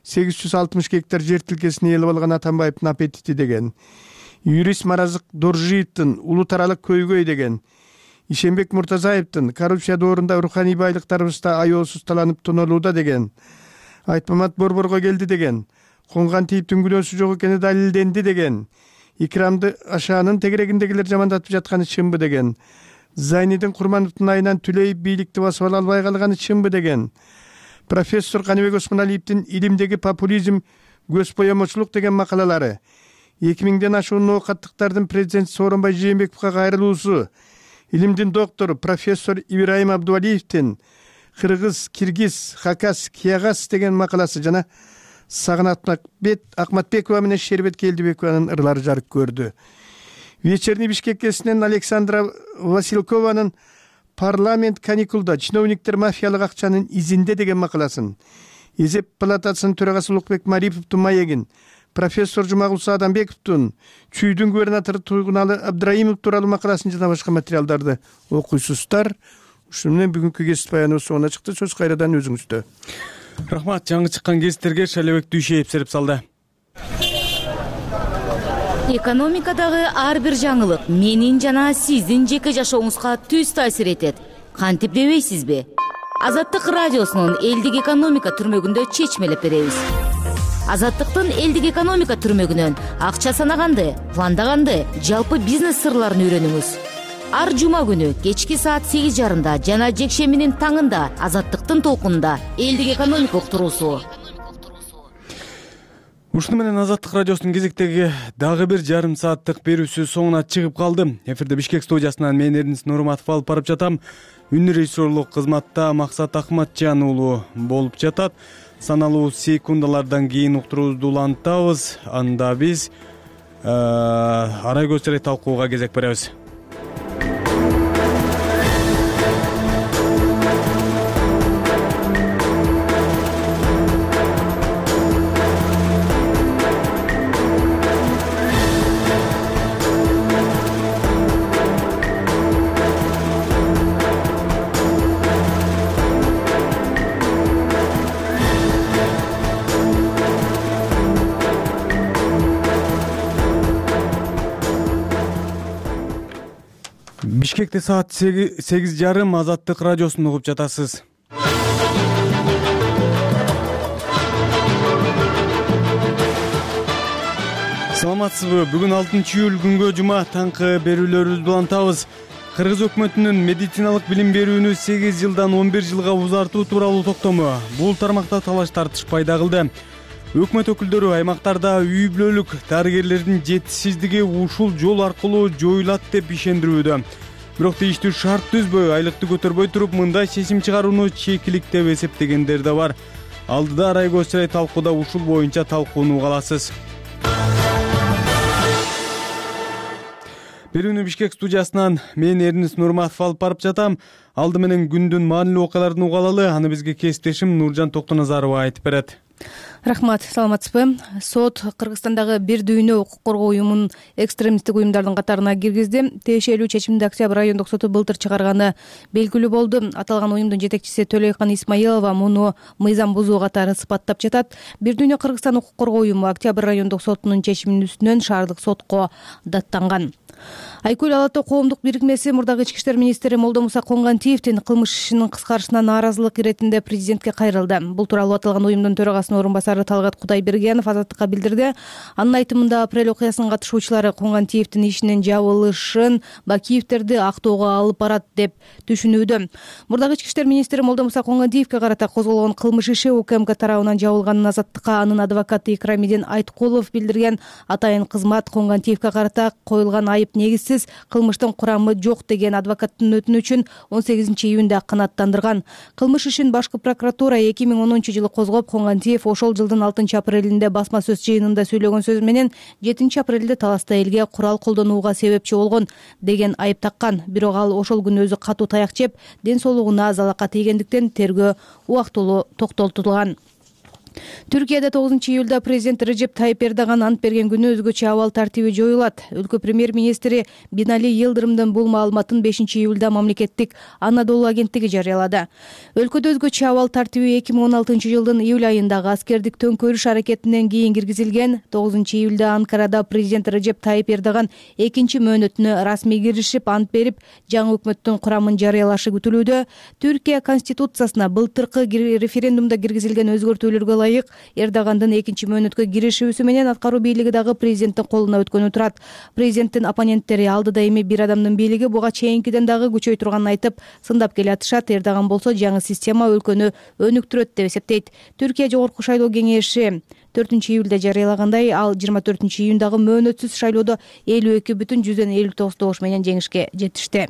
сегиз жүз алтымыш гектар жер тилкесин ээлеп алган Атамбаевдин аппетити деген. Юрист Маразык Доржиевдин улуу таралык көйгөй деген. Ишенбек Муртазаевдин коррупция доорунда руханий байлыктарыбызды аеосуз таланып тонолууда деген. Айтмамат Борборго келди деген. Конгантиевдин күнөөсү жок экени далилденди деген. Икрамды Ашаанын тегерегиндегилер жамандатып жатканы чынбы деген. Зайнидин Курмановдун айынан Түлеев бийликти басып ала албай калганы чынбы деген. Профессор Каныбек Осмоналиевдин илимдеги популизм, көз боемочулук деген макалалары, эки миңден ашуун оокаттыктардын президент Сооронбай Жээнбековго кайрылуусу, илимдин доктору профессор Ибраим Абдувалиевдин Кыргыз, Киргиз, Хакас, Киягас деген макаласы жана Сагынат Акматбекова менен Шербет Келдибекованын ырлары жарык көрдү. Вечерний Бишкек гезитинен Александра Василкованын парламент каникулда чиновниктер мафиялык акчанын изинде деген макаласын, эсеп палатасынын төрагасы Улукбек Мариповдун маегин, профессор Жумагулса Адамбековдун чүйдүн губернатору Туйгуналы Абдраимов тууралуу макаласын жана башка материалдарды окуйсуздар. Ушуну менен бүгүнкү гезит баяныбыз соңуна чыкты. Сөз кайрадан өзүңүздө. Рахмат. Жаңы чыккан гезиттерге Шайлебек Дүйшеев серип салды. Экономикадагы ар бир жаңылык менин жана сиздин жеке жашооңузга түз таасир этет. Кантип дебейсизби? Азаттык радиосунун элдик экономика түрмөгүндө чечмелеп беребиз. Азаттыктын элдик экономика түрмөгүнөн акча санаганды, пландаганды, жалпы бизнес сырларын үйрөнүңүз. Ар жума күнү кечки саат сегиз жарымда жана жекшембинин таңында Азаттыктын толкунунда элдик экономика уктуруусу. Ушуну менен Азаттык радиосунун кезектеги дагы бир жарым сааттык берүүсү соңуна чыгып калды. Эфирде Бишкек студиясынан мен Эрнис Нурматов алып барып жатам. Үн режиссерлук кызматта Максат Акматжан уулу болуп жатат. Саналуу секундалардан кийин уктуруубузду улантабыз. Анда биз арай көчөрөй талкууга кезек беребиз. Бишкекте саат сегиз жарым Азаттык радиосун угуп жатасыз. Саламатсызбы? Бүгүн алтынчы июль күнгө жума таңкы берүүлөрүбүздү улантабыз. Кыргыз өкмөтүнүн медициналык билим берүүнү сегиз жылдан он бир жылга узартуу тууралуу токтому. Бул тармакта талаш тартыш пайда кылды. Өкмөт өкүлдөрү аймактарда үй бүлөлүк дарыгерлердин жетишсиздиги ушул жол аркылуу жоюлат деп ишендирүүдө. Бирок тийиштүү шарт түзбөй, айлыкты көтөрбөй туруп мындай чечим чыгарууну чекилик деп эсептегендер да бар. Алдыда Арай Көчсүрай талкууда ушул боюнча талкууну угаласыз. Берүүнү Бишкек студиясынан мен Эрнис Нурматов алып барып жатам. Алды менен күндүн маанилүү окуяларын угалалы, аны бизге кесиптешим Нуржан Токтоназарова айтып берет. Рахмат, саламатсызбы? Сот Кыргызстандагы бир дүйнө укук коргоо уюмун экстремисттик уюмдардын катарына киргизди. Тиешелүү чечимди Октябрь райондук соту былтыр чыгарганы белгилүү болду. Аталган уюмдун жетекчиси Төлөйкан Исмаилова муну мыйзам бузуу катары сыпаттап жатат. Бир дүйнө Кыргызстан укук коргоо уюму Октябрь райондук сотунун чечиминин үстүнөн шаардык сотко даттанган. Айкөл Ала Тоо коомдук бирикмеси мурдагы ички иштер министри Молдомуса Коңгантиевдин кылмыш ишинин кыскарышына нааразылык иретинде президентке кайрылды. Бул тууралуу аталган уюмдун төрагасынын орун басары Талгат Кудайбергенов Азаттыкка билдирди. Анын айтымында апрель окуясынын катышуучулары Коңгантиевдин ишинин жабылышын Бакиевтерди актоого алып барат деп түшүнүүдө. Мурдагы ички иштер министри Молдомуса Коңгантиевке карата козголгон кылмыш иши УКМК тарабынан жабылганын Азаттыкка анын адвокаты Икрамидин Айткулов билдирген. Атайын кызмат Коңгантиевке карата коюлган айып негизсиз, кылмыштын курамы жок деген адвокаттын өтүнүчүн он сегизинчи июнда канааттандырган. Кылмыш ишин башкы прокуратура эки миң онунчу жылы козгоп, Коңгантиев ошол жылдын алтынчы апрелинде басма сөз жыйынында сүйлөгөн сөзү менен жетинчи апрелде таласта элге курал колдонууга себепчи болгон деген айып таккан. Бирок ал ошол күнү өзү катуу таяк жеп, ден соолугуна залака тийгендиктен тергөө убактылуу токтотулган. Түркияда тогузунчу июлда президент Режеп Тайып Эрдоган ант берген күнү өзгөчө абал тартиби жоюлат. Өлкө премьер-министри Бинали Йылдырымдын бул маалыматын бешинчи июлда мамлекеттик Анадолу агенттиги жарыялады. Өлкөдө өзгөчө абал тартиби эки миң он алтынчы жылдын июль айындагы аскердик төңкөрүш аракетинен кийин киргизилген. тогузунчу июлда Анкарада президент Режеп Тайып Эрдоган экинчи мөөнөтүнө расмий киришип, ант берип, жаңы өкмөттүн курамын жарыялашы күтүлүүдө. Түркия конституциясына былтыркы референдумда киргизилген өзгөртүүлөргө ылайык Эрдогандын экинчи мөөнөткө киришүүсү менен аткаруу бийлиги дагы президенттин колуна өткөнү турат. Президенттин оппоненттери алдыда эми бир адамдын бийлиги буга чейинкиден дагы күчөй турганын айтып, сындап келе атышат. Эрдоган болсо жаңы система өлкөнү өнүктүрөт деп эсептейт. Түркия Жогорку шайлоо кеңеши төртүнчү июлда жарыялагандай, ал жыйырма төртүнчү июндагы мөөнөтсүз шайлоодо элүү эки бүтүн жүздөн элүү тогуз добуш менен жеңишке жетишти.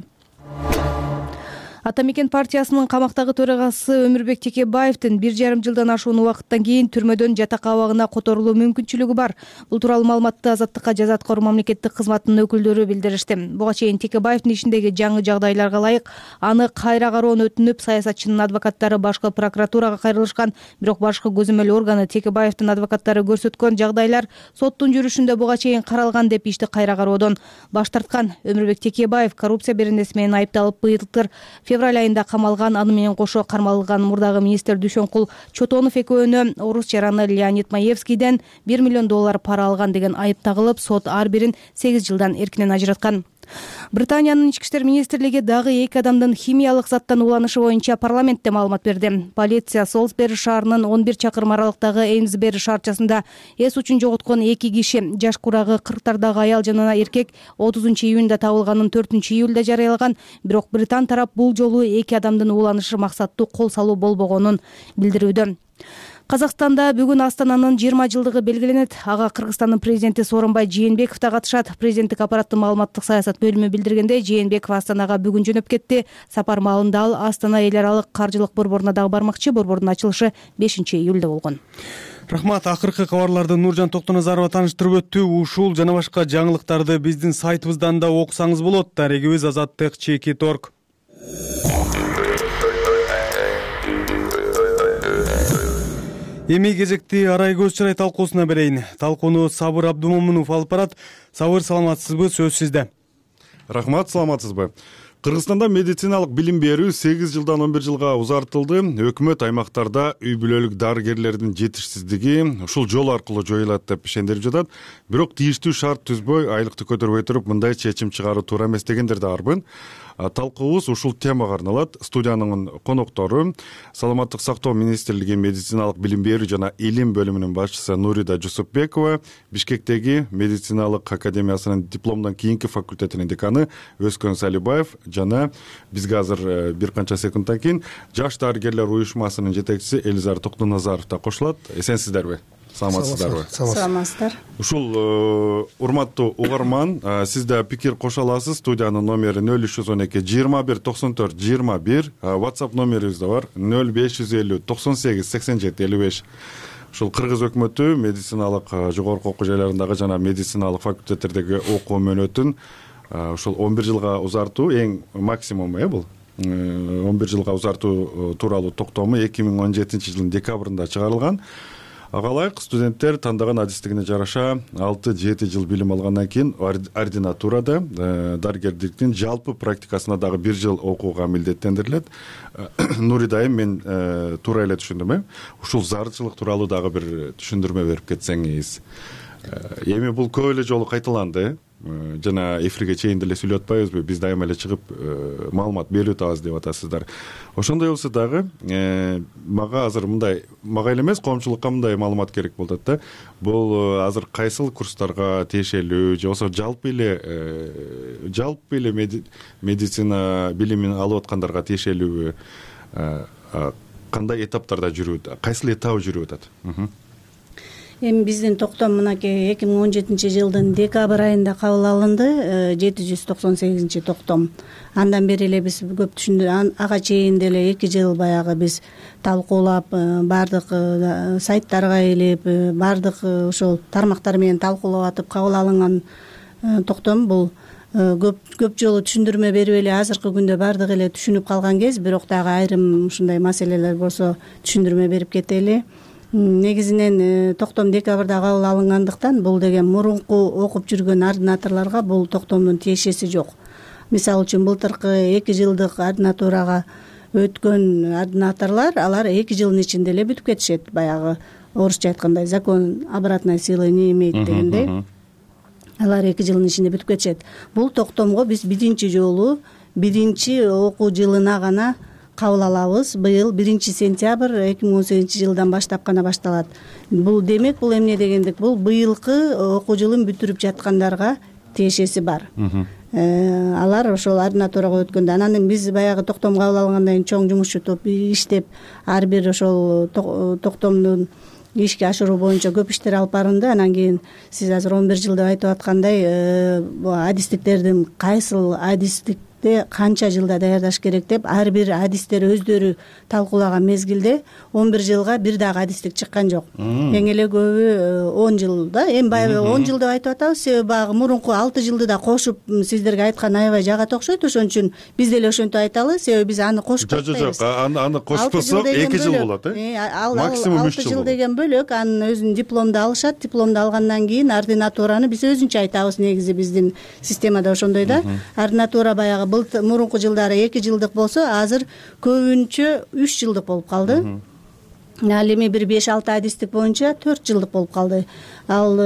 Ата Мекен партиясынын камактагы төрагасы Өмүрбек Текебаевдин бир жарым жылдан ашуун убакыттан кийин түрмөдөн жатак абагына которулуу мүмкүнчүлүгү бар. Бул тууралуу маалыматты Азаттыкка жаза аткаруу мамлекеттик кызматынын өкүлдөрү билдиришти. Буга чейин Текебаевдин ишиндеги жаңы жагдайларга ылайык аны кайра кароону өтүнүп, саясатчынын адвокаттары башкы прокуратурага кайрылышкан. Бирок башкы көзөмөл органы Текебаевдин адвокаттары көрсөткөн жагдайлар соттун жүрүшүндө буга чейин каралган деп ишти кайра кароодон баш тарткан. Өмүрбек Текебаев коррупция беренеси менен айыпталып былтыр февраль айында камалган. Аны менен кошо кармалган мурдагы министр Дүйшөнкул Чотонов экөөнө орус жараны Леонид Маевскийден бир миллион доллар пара алган деген айып тагылып, сот ар бирин сегиз жылдан эркинен ажыраткан. Британиянын ички иштер министрлиги дагы эки адамдын химиялык заттан ууланышы боюнча парламентте маалымат берди. Полиция Солсбери шаарынын он бир чакырым аралыктагы Эймсбери шаарчасында эс учун жоготкон эки киши, жаш курагы кырктардагы аял жана эркек отузунчу июнда табылганын төртүнчү июлда жарыялаган. Бирок Британ тарап бул жолу эки адамдын ууланышы максаттуу кол салуу болбогонун билдирүүдө. Казакстанда бүгүн Астананын жыйырма жылдыгы белгиленет. Ага Кыргызстандын президенти Сооронбай Жээнбеков да катышат. Президенттик аппараттын маалыматтык саясат бөлүмү билдиргендей, Жээнбеков Астанага бүгүн жөнөп кетти. Сапар маалында ал Астана эл аралык каржылык борборуна дагы бармакчы. Борбордун ачылышы бешинчи июлда болгон. Рахмат. Акыркы кабарларды Нуржан Токтоназарова таныштырып өттү. Ушул жана башка жаңылыктарды биздин сайтыбыздан да окусаңыз болот. Дарегибиз азаттык чекит точка орг. Эми кезекти Арай Көчсүрай талкуусуна берейин. Талкууну Сабыр Абдумомунов алып барат. Сабыр, саламатсызбы? Сөз сизде. Рахмат, саламатсызбы? Кыргызстанда медициналык билим берүү сегиз жылдан он бир жылга узартылды. Өкмөт аймактарда үй бүлөлүк дарыгерлердин жетишсиздиги ушул жол аркылуу жоюлат деп ишендирип жатат. Бирок тийиштүү шарт түзбөй, айлыкты көтөрбөй туруп мындай чечим чыгаруу туура эмес дегендер да барбын. Талкуубуз ушул темага арналат. Студиянын коноктору Саламаттык сактоо министрлиги медициналык билим берүү жана илим бөлүмүнүн башчысы Нурида Жусупбекова, Бишкектеги медициналык академиясынын дипломдон кийинки факультетинин деканы Өзкөн Салибаев жана бизге азыр бир канча секундтан кийин Жаш дарыгерлер уюшмасынын жетекчиси Элизар Токтоназаров да кошулат. Эсенсиздерби? Саламатсыздарбы? Саламатсыздар. Ушул урматтуу угарман, сиз да пикир кошо аласыз. Студиянын номери нөл үч жүз он эки жыйырма бир токсон төрт жыйырма бир, WhatsApp номерибиз да бар нөл беш жүз элүү токсон сегиз сексен жети элүү беш. Ушул кыргыз өкмөтү медициналык жогорку окуу жайларындагы жана медициналык факультеттердеги окуу мөөнөтүн ушул он бир жылга узартуу эң максимум э бул. он бир жылга узартуу тууралуу токтому эки миң он жетинчи жылдын декабрында чыгарылган. Ага ылайык студенттер тандаган адистигине жараша алты жети жыл билим алгандан кийин ординатурада дарыгерликтин жалпы практикасына дагы бир жыл окууга милдеттендирилет. Нурида айым, мен туура эле түшүндүм э? Ушул зарылчылык тууралуу дагы бир түшүндүрмө берип кетсеңиз. Эми бул көп эле жолу кайталанды. Жана эфирге чейин деле сүйлөп атпайбызбы? Биз дайыма эле чыгып маалымат берип атабыз деп атасыздар. Ошондой болсо дагы мага азыр мындай, мага эле эмес, коомчулукка мындай маалымат керек болуп атат да. Бул азыр кайсыл курстарга тиешелүү же болбосо жалпы эле жалпы эле медицина билимин алып аткандарга тиешелүүбү? Кандай этаптарда жүрүп, кайсыл этабы жүрүп атат? Эми биздин токтом мынакей эки миң он жетинчи жылдын декабрь айында кабыл алынды, жети жүз токсон сегизинчи токтом. Андан бери эле биз көп түшүндү, ага чейин деле эки жыл баягы биз талкуулап, бардык сайттарга илип, бардык ошол тармактар менен талкуулап атып кабыл алынган токтом. Бул көп көп жолу түшүндүрмө берип эле азыркы күндө бардык эле түшүнүп калган кез, бирок дагы айрым ушундай маселелер болсо түшүндүрмө берип кетели. Негизинен токтом декабрда кабыл алынгандыктан бул деген мурунку окуп жүргөн ординаторлорго бул токтомдун тиешеси жок. Мисалы үчүн былтыркы эки жылдык ординатурага өткөн ординаторлор, алар эки жылдын ичинде эле бүтүп кетишет. Баягы орусча айткандай закон обратной силы не имеет дегендей. Алар эки жылдын ичинде бүтүп кетишет. Бул токтомго биз биринчи жолу биринчи окуу жылына гана кабыл алабыз. Быйыл биринчи сентябрь эки миң он сегизинчи жылдан баштап гана башталат. Бул демек, бул эмне дегендик? Бул быйылкы окуу жылын бүтүрүп жаткандарга тиешеси бар. Алар ошол ординатурага өткөндө, анан биз баягы токтом кабыл алгандан кийин чоң жумушчу топ иштеп, ар бир ошол токтомдун ишке ашыруу боюнча көп иштер алып барынды. Анан кийин сиз азыр он бир жыл деп айтып аткандай, адистиктердин кайсыл адистик канча жылда даярдаш керек деп ар бир адистер өздөрү талкуулаган мезгилде он бир жылга бир дагы адистик чыккан жок. Эң эле көбү он жыл да. Эми баягы он жыл деп айтып атабыз, себеби баягы мурунку алты жылды да кошуп сиздерге айткан аябай жагат окшойт. Ошон үчүн биз деле ошентип айталы, себеби биз аны кошуп атпайбыз. Жок, жок, аны кошпосок эки жыл болот, э? Максимум үч жыл. алты жыл деген бөлөк, анын өзүнүн дипломду алышат. Дипломду алгандан кийин ординатураны биз өзүнчө айтабыз. Негизи биздин системада ошондой да. Ординатура баягы мурунку жылдары эки жылдык болсо, азыр көбүнчө үч жылдык болуп калды. Ал эми бир беш алты адистик боюнча төрт жылдык болуп калды. Ал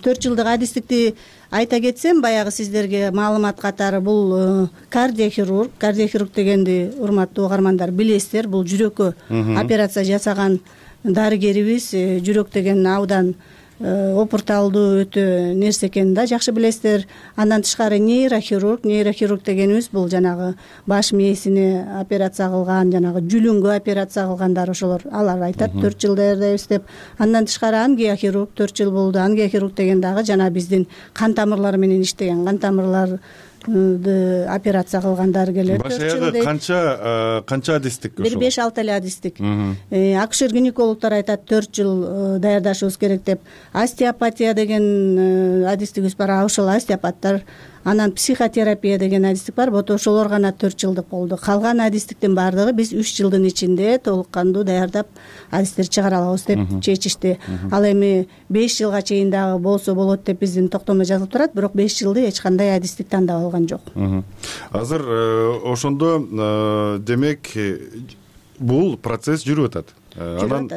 төрт жылдык адистикти айта кетсем, баягы сиздерге маалымат катары, бул кардиохирург. Кардиохирург дегенди урматтуу угармандар билесиздер, бул жүрөккө операция жасаган дарыгерибиз. Жүрөк деген абдан опурталдуу өтө нерсе экенин да жакшы билесиздер. Андан тышкары нейрохирург, нейрохирург дегенибиз бул жанагы баш мээсине операция кылган, жанагы жүлүнгө операция кылгандар, ошолор, алар айтат төрт жыл даярдайбыз деп. Андан тышкары ангиохирург төрт жыл болду. Ангиохирург деген дагы жана биздин кан тамырлары менен иштеген, кан тамырлар операция кылган дарыгерлер. Баш аягы канча канча адистик ошол? Бир беш алты эле адистик. Акушер-гинекологдор айтат төрт жыл даярдашыбыз керек деп. Остеопатия деген адистигибиз бар. Ошол остеопаттар Анан психотерапия деген адистик бар, вот ошолор гана төрт жылдык болду. Калган адистиктин баардыгы биз үч жылдын ичинде толук кандуу даярдап адистер чыгара алабыз деп чечишти. Ал эми беш жылга чейин дагы болсо болот деп биздин токтомдо жазылып турат, бирок беш жылды эч кандай адистик тандап алган жок. Азыр ошондо демек бул процесс жүрүп атат. Анан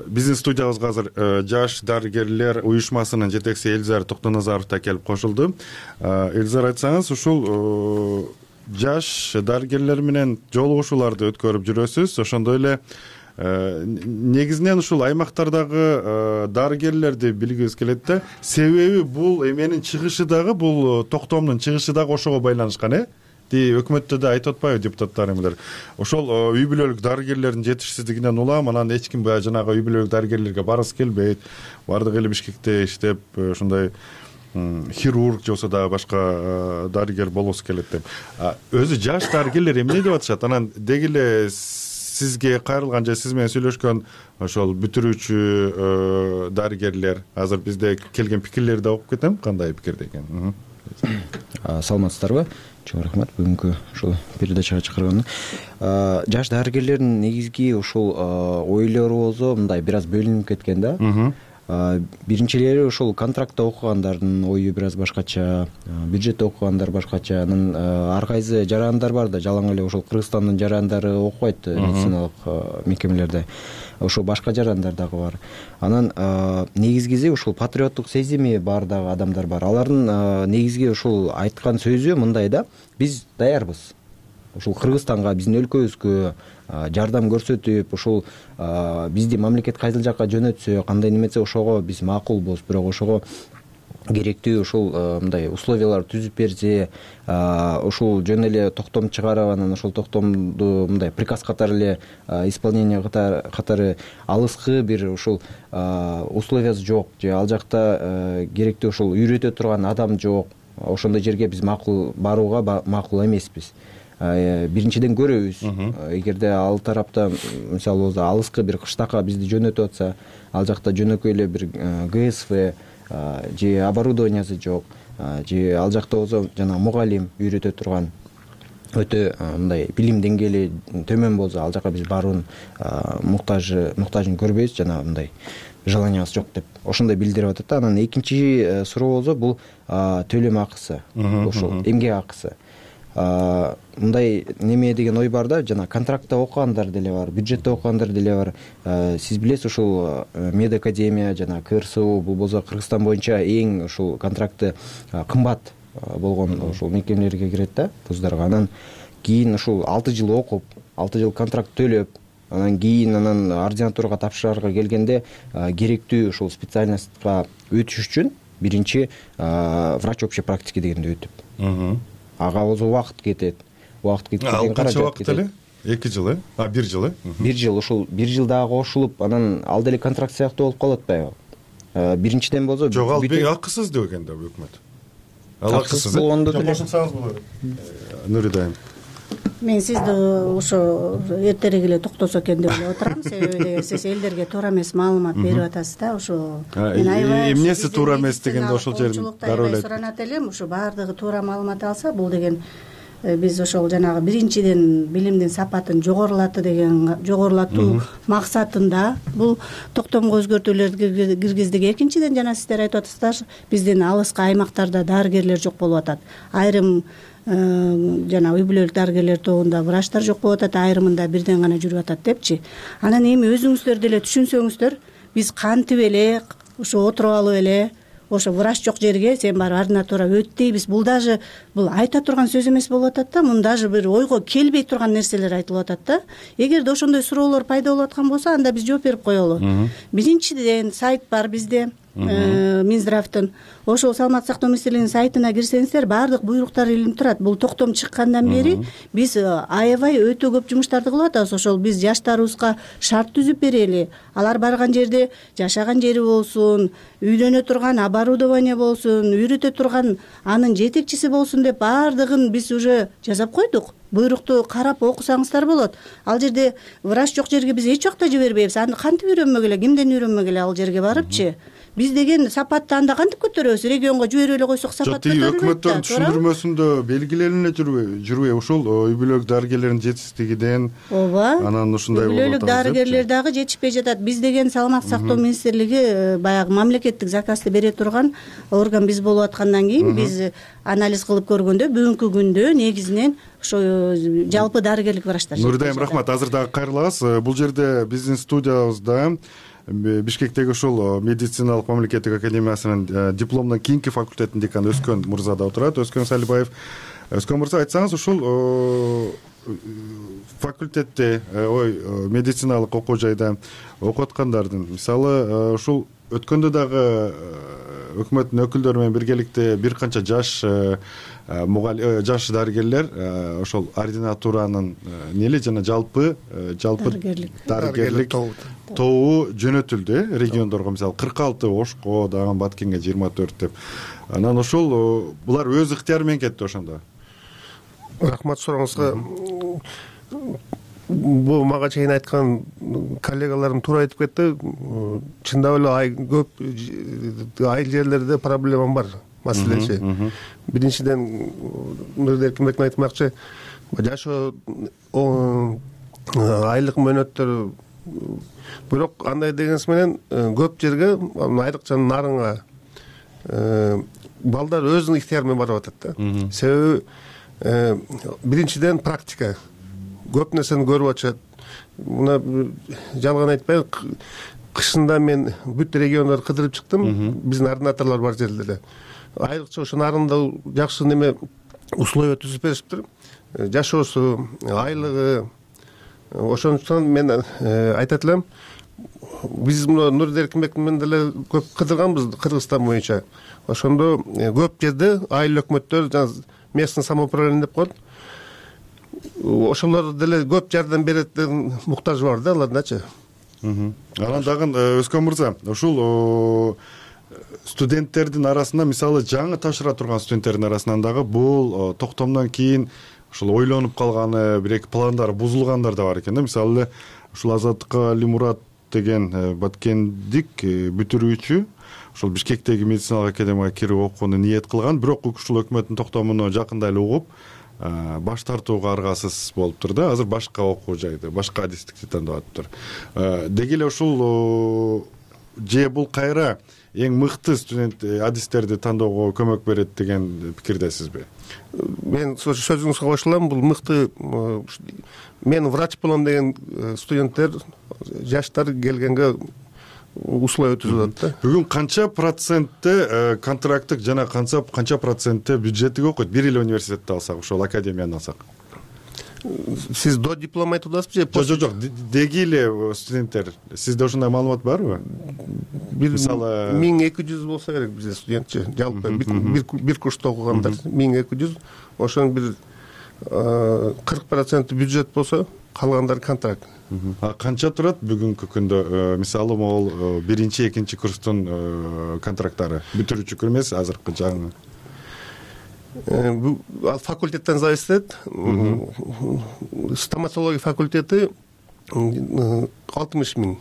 биздин студиябызга азыр жаш дарыгерлер уюшмасынын жетекчиси Элзар Токтоназаров да келип кошулду. Элзар, айтсаңыз, ушул жаш дарыгерлер менен жолугушууларды өткөрүп жүрөсүз. Ошондой эле негизинен ушул аймактардагы дарыгерлерди билгибиз келет да. Себеби бул эменин чыгышы дагы, бул токтомдун чыгышы дагы ошого байланышкан, э? Өкмөттө да айтып атпайбы депутаттар эмелер? Ошол үй бүлөлүк дарыгерлердин жетишсиздигинен улам, анан эч ким жанагы үй бүлөлүк дарыгерлерге баргысы келбейт. Бардыгы эле Бишкекте иштеп, ушундай хирург же болсо дагы башка дарыгер болгусу келет деп. Өзү жаш дарыгерлер эмне деп атышат? Анан деги эле сизге кайрылган же сиз менен сүйлөшкөн ошол бүтүрүүчү дарыгерлер азыр бизде келген пикирлерди окуп кетем, кандай пикирде экен? Саламатсыздарбы? Чоң рахмат бүгүнкү ушул передачага чакырганы. Жаш дарыгерлердин негизги ушул ойлору болсо мындай бир аз бөлүнүп кеткен да. Биринчилери ошол контрактта окугандардын ою бир аз башкача, бюджетте окугандар башкача. Анан ар кайсы жарандар бар да, жалаң эле ошол Кыргызстандын жарандары окубайт медициналык мекемелерде. Ошол башка жарандар дагы бар. Анан негизгиси ушул патриоттук сезими бар дагы адамдар бар. Алардын негизги ушул айткан сөзү мындай да: биз даярбыз. Ушул Кыргызстанга, биздин өлкөбүзгө жардам көрсөтүп, ушул бизди мамлекет кайсыл жакка жөнөтсө, кандай неметсе ошого биз макулбуз, бирок ошого керектүү ушул мындай условиялар түзүп берсе, ушул жөн эле токтом чыгарып, анан ошол токтомду мындай приказ катары эле исполнение катары алыскы бир ушул условиясы жок, же ал жакта керектүү ушул үйрөтө турган адам жок. Ошондой жерге биз макул барууга макул эмеспиз. Биринчиден көрөбүз, эгерде ал тарапта мисалы болсо алыскы бир кыштакка бизди жөнөтүп атса, ал жакта жөнөкөй эле бир ГСВ же оборудованиясы жок, же ал жакта болсо жана мугалим үйрөтө турган өтө мындай билим деңгээли төмөн болсо, ал жака биз баруунун муктажын көрбөйбүз, жана мындай желаниясы жок деп ошондой билдирип атат да. Анан экинчи суроо болсо бул төлөм акысы, ошол эмгек акысы. Мындай неме деген ой бар да, жана контрактта окугандар деле бар, бюджетте окугандар деле бар. Сиз билесиз, ушул медакадемия жана КРСУ бул болсо Кыргызстан боюнча эң ушул контракты кымбат болгон ушул мекемелерге кирет да, вуздарга. Анан кийин ушул алты жыл окуп, алты жыл контракт төлөп, анан кийин анан ординатурага тапшырарга келгенде керектүү ушул специальностька өтүш үчүн биринчи врач общей практики дегенди өтүп, ага болсо убакыт кетет. Убакыт кеткен каражат кетет. Канча убакыт эле? эки жыл, э? А, бир жыл, э? бир жыл, ушул бир жыл дагы кошулуп, анан ал деле контракт сыяктуу болуп калып атпайбы? Биринчиден болсо жок, ал бек акысыз деп экен да өкмөт. Ал акысыз болгондо деле кошулсаңыз болот. Нурида айым. Мен сизди ошо эртерээк эле токтосо экен деп эле отурам, себеби сиз элдерге туура эмес маалымат берип атасыз да. Ошо эмнеси туура эмес дегенде ошол жерин дароо эле суранат элем. Ошо баардыгы туура маалымат алса, бул деген биз ошол жанагы биринчиден билимдин сапатын жогорулатты деген жогорулатуу максатында бул токтомго өзгөртүүлөрдү киргиздик. Экинчиден жана сиздер айтып атасыздар, биздин алыскы аймактарда дарыгерлер жок болуп атат. Айрым жана үй бүлөлүк дарыгерлер тобунда врачтар жок болуп атат, айрымында бирден гана жүрүп атат депчи. Анан эми өзүңүздөр деле түшүнсөңүздөр, биз кантип эле ошо отуруп алып эле ошо врач жок жерге сен барып ординатура өт дейбиз. Бул даже бул айта турган сөз эмес болуп атат да. Мун даже бир ойго келбей турган нерселер айтылып атат да. Эгерде ошондой суроолор пайда болуп аткан болсо, анда биз жооп берип коелу. Биринчиден сайт бар бизде, Минздравдын. Ошол саламаттык сактоо министрлигинин сайтына кирсеңиздер, баардык буйруктар илинип турат. Бул токтом чыккандан бери биз аябай өтө көп жумуштарды кылып атабыз. Ошол биз жаштарыбызга шарт түзүп берели. Алар барган жерде жашаган жери болсун, үйлөнө турган оборудование болсун, үйрөтө турган анын жетекчиси болсун деп баардыгын биз уже жасап койдук. Буйрукту карап окусаңыздар болот. Ал жерде врач жок жерге биз эч убакта жибербейбиз. Аны кантип үйрөнмөк эле, кимден үйрөнмөк эле ал жерге барыпчы? биз деген сапатты анда кантип көтөрөбүз? Регионго жиберип эле койсок сапат көтөрүлбөйт. Өкмөттүн түшүндүрмөсүндө белгилене жүрбөйбү ушул үй бүлөлүк дарыгерлердин жетишсиздигинен? Ооба. Анан ушундай болуп атат. Үй бүлөлүк дарыгерлер дагы жетишпей жатат. Биз деген саламаттык сактоо министрлиги баягы мамлекеттик заказды бере турган орган биз болуп аткандан кийин биз анализ кылып көргөндө бүгүнкү күндө негизинен ошо жалпы дарыгерлик врачтар. Нуридайым, рахмат. Азыр дагы кайрылабыз. Бул жерде биздин студиябызда Бишкектеги ушул медициналык мамлекеттик академиясынын дипломдон кийинки факультетинин деканы Өскөн мырза да отурат. Өскөн Салибаев. Өскөн мырза, айтсаңыз, ушул факультетте, ой, медициналык окуу жайда окуп аткандардын, мисалы, ушул өткөндө дагы өкмөттүн өкүлдөрү менен биргеликте бир канча жаш жаш дарыгерлер ошол ординатуранын нели жана жалпы жалпы дарыгерлик тобу жөнөтүлдү региондорго, мисалы кырк алты Ошко, дагы Баткенге жыйырма төрт деп. Анан ошол булар өз ыктыяры менен кетти ошондо. Рахмат сурооңузга. Бул мага чейин айткан коллегаларым туура айтып кетти. Чындап эле көп айыл жерлерде проблема бар, маселечи. Биринчиден Нуридайым Эркинбектин айтмакчы, жашоо айлык мөөнөттөр, бирок андай дегенс менен көп жерге, айрыкча нарынга балдар өзүнүн ыктыяры менен барып атат да. Себеби биринчиден практика. Көп нерсени көрүп атышат. Мына жалган айтпай, кышында мен бүт региондорду кыдырып чыктым. Биздин ординаторлор бар жерлерде. Айрыкча ошо нарында жакшы неме условия түзүп беришиптир. Жашоосу, айлыгы. Ошондуктан мен айтат элем, биз мына Нуридайым Эркинбек менен деле көп кыдырганбыз Кыргызстан боюнча. Ошондо көп жерде айыл өкмөттөр, жана местный самоуправление деп коет. Ошолор деле көп жардам берет деген муктаж бар да алардачы. Анан дагы Өскөн мырза, ушул студенттердин арасында, мисалы, жаңы тапшыра турган студенттердин арасынан дагы бул токтомдон кийин ушул ойлонуп калганы, бир-эки пландары бузулгандар да бар экен да. Мисалы, ушул Азаттык Алимурат деген баткендик бүтүрүүчү ушул Бишкектеги медициналык академияга кирип окууну ниет кылган, бирок ушул өкмөттүн токтомуну жакында эле угуп, баш тартууга аргасыз болуптур да. Азыр башка окуу жайды, башка адистикти тандап атыптыр. Деги эле ушул же бул кайра эң мыкты студент адистерди тандоого көмөк берет деген пикирдесизби? Мен сөзүңүзгө кошулам. Бул мыкты, мен врач болом деген студенттер, жаштар келгенге условия түзүп атат да. Бүгүн канча процентте контракттык жана канча канча процентте бюджеттик окуйт? Бир эле университетти алсак, ошол академияны алсак. Сиз до диплом айтып атасызбы же? Жок, жок, деги эле студенттер. Сизде ошондой маалымат барбы? Мисалы, миң эки жүз болсо керек бизде студентчи, жалпы бир курста окугандар миң эки жүз. Ошонун бир кырк проценти бюджет болсо, калгандары контракт. А канча турат бүгүнкү күндө, мисалы, могул биринчи, экинчи курстун контракттары? Бүтүрүүчү эмес, азыркы жаңы. Ал факультеттен зависит этет. Стоматология факультети алтымыш миң.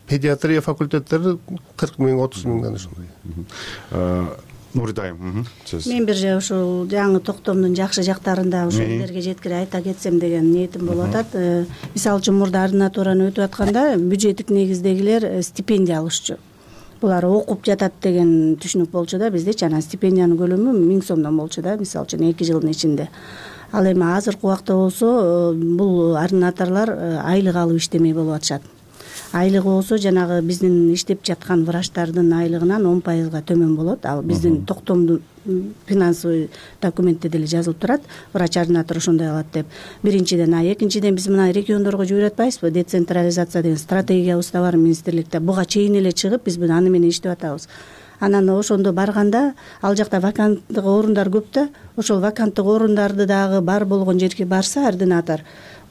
Педиатрия факультеттери кырк миң, отуз миңден ошондой. Нуридайым, сөз. Мен бир же ушул жаңы токтомдун жакшы жактарын ушул элдерге жеткирип айта кетсем деген ниетим болуп атат. Мисалы үчүн мурда ординатураны өтүп атканда бюджеттик негиздегилер стипендия алышчу. Булар окуп жатат деген түшүнүк болчу да биздечи. Анан стипендиянын көлөмү миң сомдон болчу да, мисалы үчүн эки жылдын ичинде. Ал эми азыркы убакта болсо бул ординаторлор айлык алып иштемей болуп атышат. Айлыгы болсо жанагы биздин иштеп жаткан врачтардын айлыгынан он пайызга төмөн болот. Ал биздин токтомдун финансовый документте деле жазылып турат. Врач ординатор ошондой алат деп. Биринчиден, а экинчиден биз мына региондорго жиберип атпайбызбы? Децентрализация деген стратегиябыз да бар министрликте. Буга чейин эле чыгып биз аны менен иштеп атабыз. Анан ошондо барганда ал жакта ваканттык орундар көп да, ошол ваканттык орундарды дагы бар болгон жерге барса ординатор,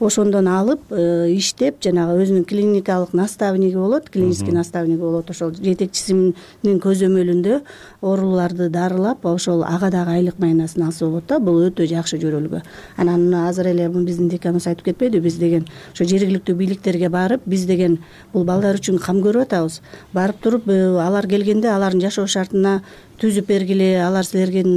ошондон алып иштеп жанагы өзүнүн клиникалык наставниги болот, клинический наставниги болот, ошол жетекчисинин көзөмөлүндө ооруларды дарылап ошол ага дагы айлык майнасын алса болот да. Бул өтө жакшы жөрөлгө. Анан азыр эле биздин деканыбыз айтып кетпедиби, биз деген ошо жергиликтүү бийликтерге барып, биз деген бул балдар үчүн кам көрүп атабыз. Барып туруп алар келгенде алардын жашоо шартына түзүп бергиле, алар силердин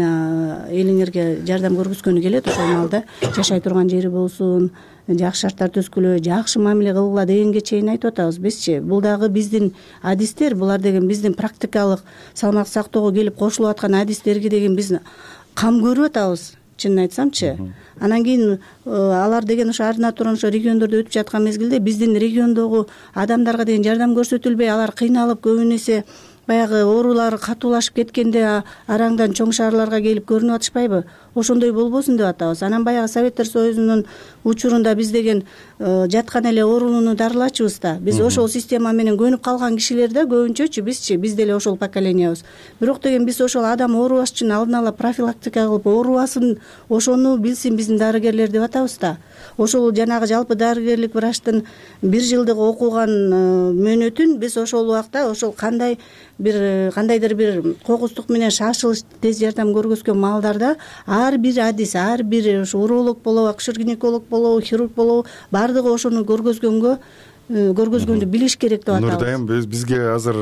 элиңерге жардам көргөзгөнү келет, ошол маалда жашай турган жери болсун, жакшы шарттар түзгүлө, жакшы мамиле кылгыла дегенге чейин айтып атабыз бизчи. Бул дагы биздин адистер, булар деген биздин практикалык салмак сактоого келип кошулуп аткан адистерге деген биз кам көрүп атабыз, чынын айтсамчы. Анан кийин алар деген ошо ординатордон ошо региондордо өтүп жаткан мезгилде биздин региондогу адамдарга деген жардам көрсөтүлбөй, алар кыйналып көбүн эсе баягы оорулары катуулашып кеткенде араңдан чоң шаарларга келип көрүнүп атышпайбы? Ошондой болбосун деп атабыз. Анан баягы Советтер Союзунун учурунда биз деген жаткан эле оорулууну дарылачубыз да. Биз ошол система менен көнүп калган кишилер да көбүнчөчү бизчи, биз деле ошол поколениябыз. Бирок деген биз ошол адам оорубаш үчүн алдын ала профилактика кылып оорубасын, ошону билсин биздин дарыгерлер деп атабыз да. Ошол жанагы жалпы дарыгерлик врачтын бир жылдык окуган мөөнөтүн биз ошол убакта ошол кандай бир кандайдыр бир кокустук менен шашылыш тез жардам көргөзгөн маалдарда ар бир адис, ар бир ушу уролог болобу, акушер-гинеколог болобу, хирург болобу, баардыгы ошону көргөзгөнгө көргөзгөндү билиш керек деп атабыз. Нурдайым, бизге азыр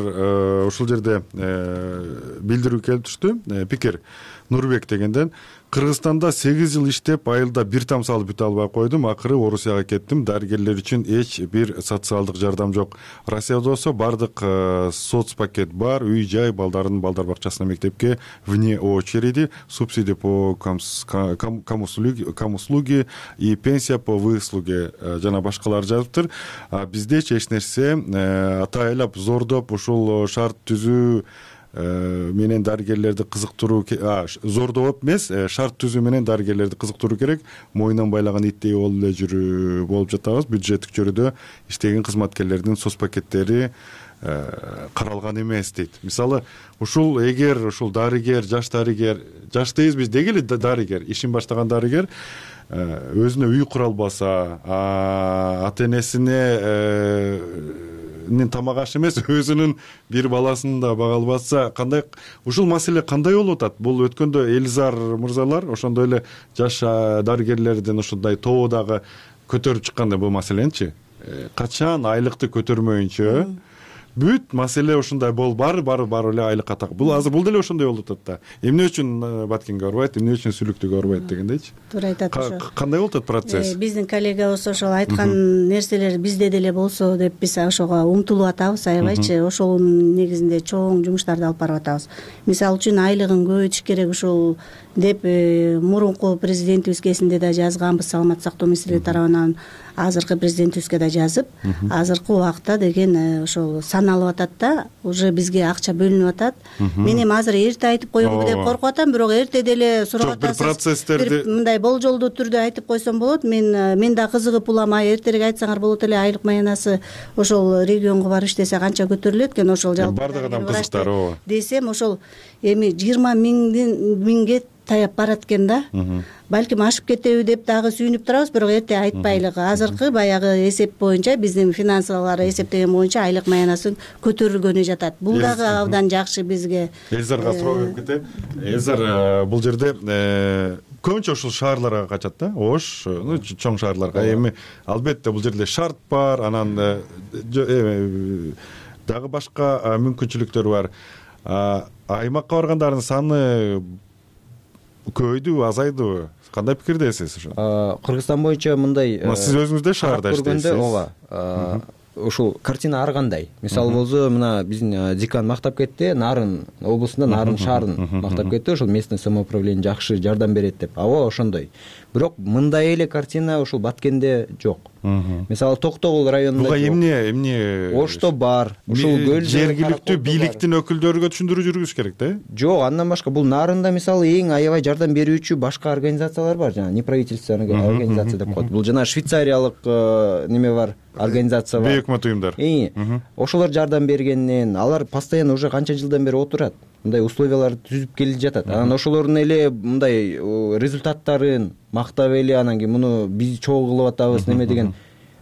ушул жерде билдирүү келип түштү. Пикир Нурбек дегенден: Кыргызстанда сегиз жыл иштеп, айылда бир там салып бүтө албай койдум. Акыры Орусияга кеттим. Дарыгерлер үчүн эч бир социалдык жардам жок. Россияда болсо бардык соц пакет бар, үй жай, балдардын балдар бакчасына, мектепке вне очереди, субсидия по камуслуги и пенсия по выслуге жана башкалар жазыптыр. Биздечи эч нерсе атайлап зордоп ушул шарт түзүү менен дарыгерлерди кызыктыруу, зордоп эмес, шарт түзүү менен дарыгерлерди кызыктыруу керек. Мойнун байлаган иттей болуп эле жүрүү болуп жатабыз. Бюджеттик чөйрөдө иштеген кызматкерлердин соц пакеттери каралган эмес дейт. Мисалы, ушул эгер ушул дарыгер, жаш дарыгер, жаш дейбиз, деги эле дарыгер, ишин баштаган дарыгер өзүнө үй кура албаса, ата энесине тамак аш эмес, өзүнүн бир баласын да бага албаса, кандай ушул маселе кандай болуп атат? Бул өткөндө Элизар мырзалар ошондой эле жаш дарыгерлердин ушундай тобу дагы көтөрүп чыкканда бул маселеничи. Качан айлыкты көтөрмөйүнчө бүт маселе ушундай бол бар бар бар эле айлыкка так. Бул азыр бул деле ошондой болуп атат да. Эмне үчүн Баткенге барбайт, эмне үчүн Сүлүктүгө барбайт дегендейчи. Туура айтат ошо. Кандай болуп атат процесс? Биздин коллегабыз ошол айткан нерселер бизде деле болсо деп биз ошого умтулуп атабыз, аябайчы. Ошонун негизинде чоң жумуштарды алып барып атабыз. Мисалы үчүн айлыгын көбөйтүш керек ушул деп мурунку президентибиз кезинде да жазганбыз, саламаттык сактоо министрлиги тарабынан азыркы президентибизге да жазып, азыркы убакта деген ошол саналып атат да, уже бизге акча бөлүнүп атат. Мен эми азыр эрте айтып коембу деп коркуп атам, бирок эрте деле сурап атасыз. Бир процесстерди мындай болжолдуу түрдө айтып койсом болот. Мен мен да кызыгып уламай эртерээк айтсаңар болот эле, айлык маянасы ошол регионго барып иштесе канча көтөрүлөт экен, ошол жалпы бардык адам кызыктар ооба десем, ошол эми жыйырма миңге таяп барат экен да. Балким ашып кетеби деп дагы сүйүнүп турабыз, бирок эрте айтпайлык. Азыркы баягы эсеп боюнча, биздин финансылар эсептеген боюнча айлык маянасы көтөрүлгөнү жатат. Бул дагы абдан жакшы бизге. Элзарга суроо берип кетейин. Элзар, бул жерде көбүнчө ушул шаарларга качат да, Ош, чоң шаарларга. Эми албетте бул жерде шарт бар, анан дагы башка мүмкүнчүлүктөр бар. Аймакка баргандардын саны көбөйдүбү, азайдыбы? Кандай пикирдесиз ошо? Кыргызстан боюнча мындай сиз өзүңүз да шаарда иштейсиз. Ооба. Ушул картина ар кандай. Мисалы болсо, мына биздин декан мактап кетти, Нарын облусунда, Нарын шаарын мактап кетти, ошол местный самоуправление жакшы жардам берет деп. Ооба, ошондой. Бирок мындай эле картина ушул Баткенде жок. Мисалы Токтогул районунда буга эмне эмне Ошто бар. Ушул көл жергиликтүү бийликтин өкүлдөрүгө түшүндүрүү жүргүзүш керек да? Жок, андан башка бул Нарында мисалы эң аябай жардам берүүчү башка организациялар бар, жана неправительственный организация деп коет. Бул жана швейцариялык неме бар, организация бар. Бейөкмөт уюмдар. Ошолор жардам бергеннен, алар постоянно уже канча жылдан бери отурат. Мындай условияларды түзүп келип жатат. Анан ошолордун эле мындай результаттарын мактап эле анан кийин муну биз чогуу кылып атабыз неме деген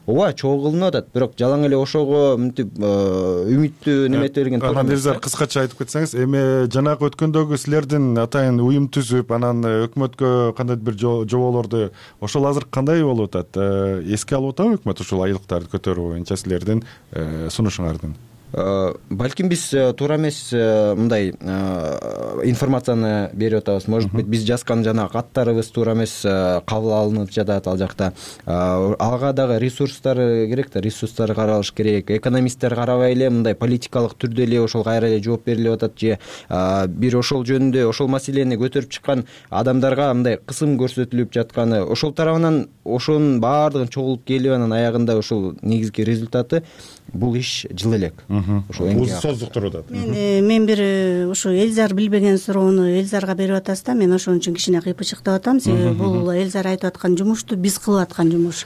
ооба чогуу кылынып атат, бирок жалаң эле ошого мынтип үмүттүү неметип берген туура эмес. Элзар, кыскача айтып кетсеңиз, эми жанагы өткөндөгү силердин атайын уюм түзүп, анан өкмөткө кандайдыр бир жоболорду ошол азыр кандай болуп атат? Эске алып атабы өкмөт ушул айлыктарды көтөрүү боюнча силердин сунушуңардын? Балким биз туура эмес мындай информацияны берип атабыз. Может быть, биз жазган жана каттарыбыз туура эмес кабыл алынып жатат ал жакта. Ага дагы ресурстар керек да, ресурстар каралыш керек. Экономисттер карабай эле мындай политикалык түрдө эле ошол кайра эле жооп берилип атат же бир ошол жөнүндө ошол маселени көтөрүп чыккан адамдарга мындай кысым көрсөтүлүп жатканы, ошол тарабынан ошонун баардыгын чогулуп келип анан аягында ошол негизги результаты бул иш жыл элек. Созук туруп атат. Мен мен бир ушу Элзар билбеген суроону Элзарга берип атасыз да, мен ошон үчүн кичине кыйпычыктап атам. Себеби бул Элзар айтып аткан жумушту биз кылып аткан жумуш.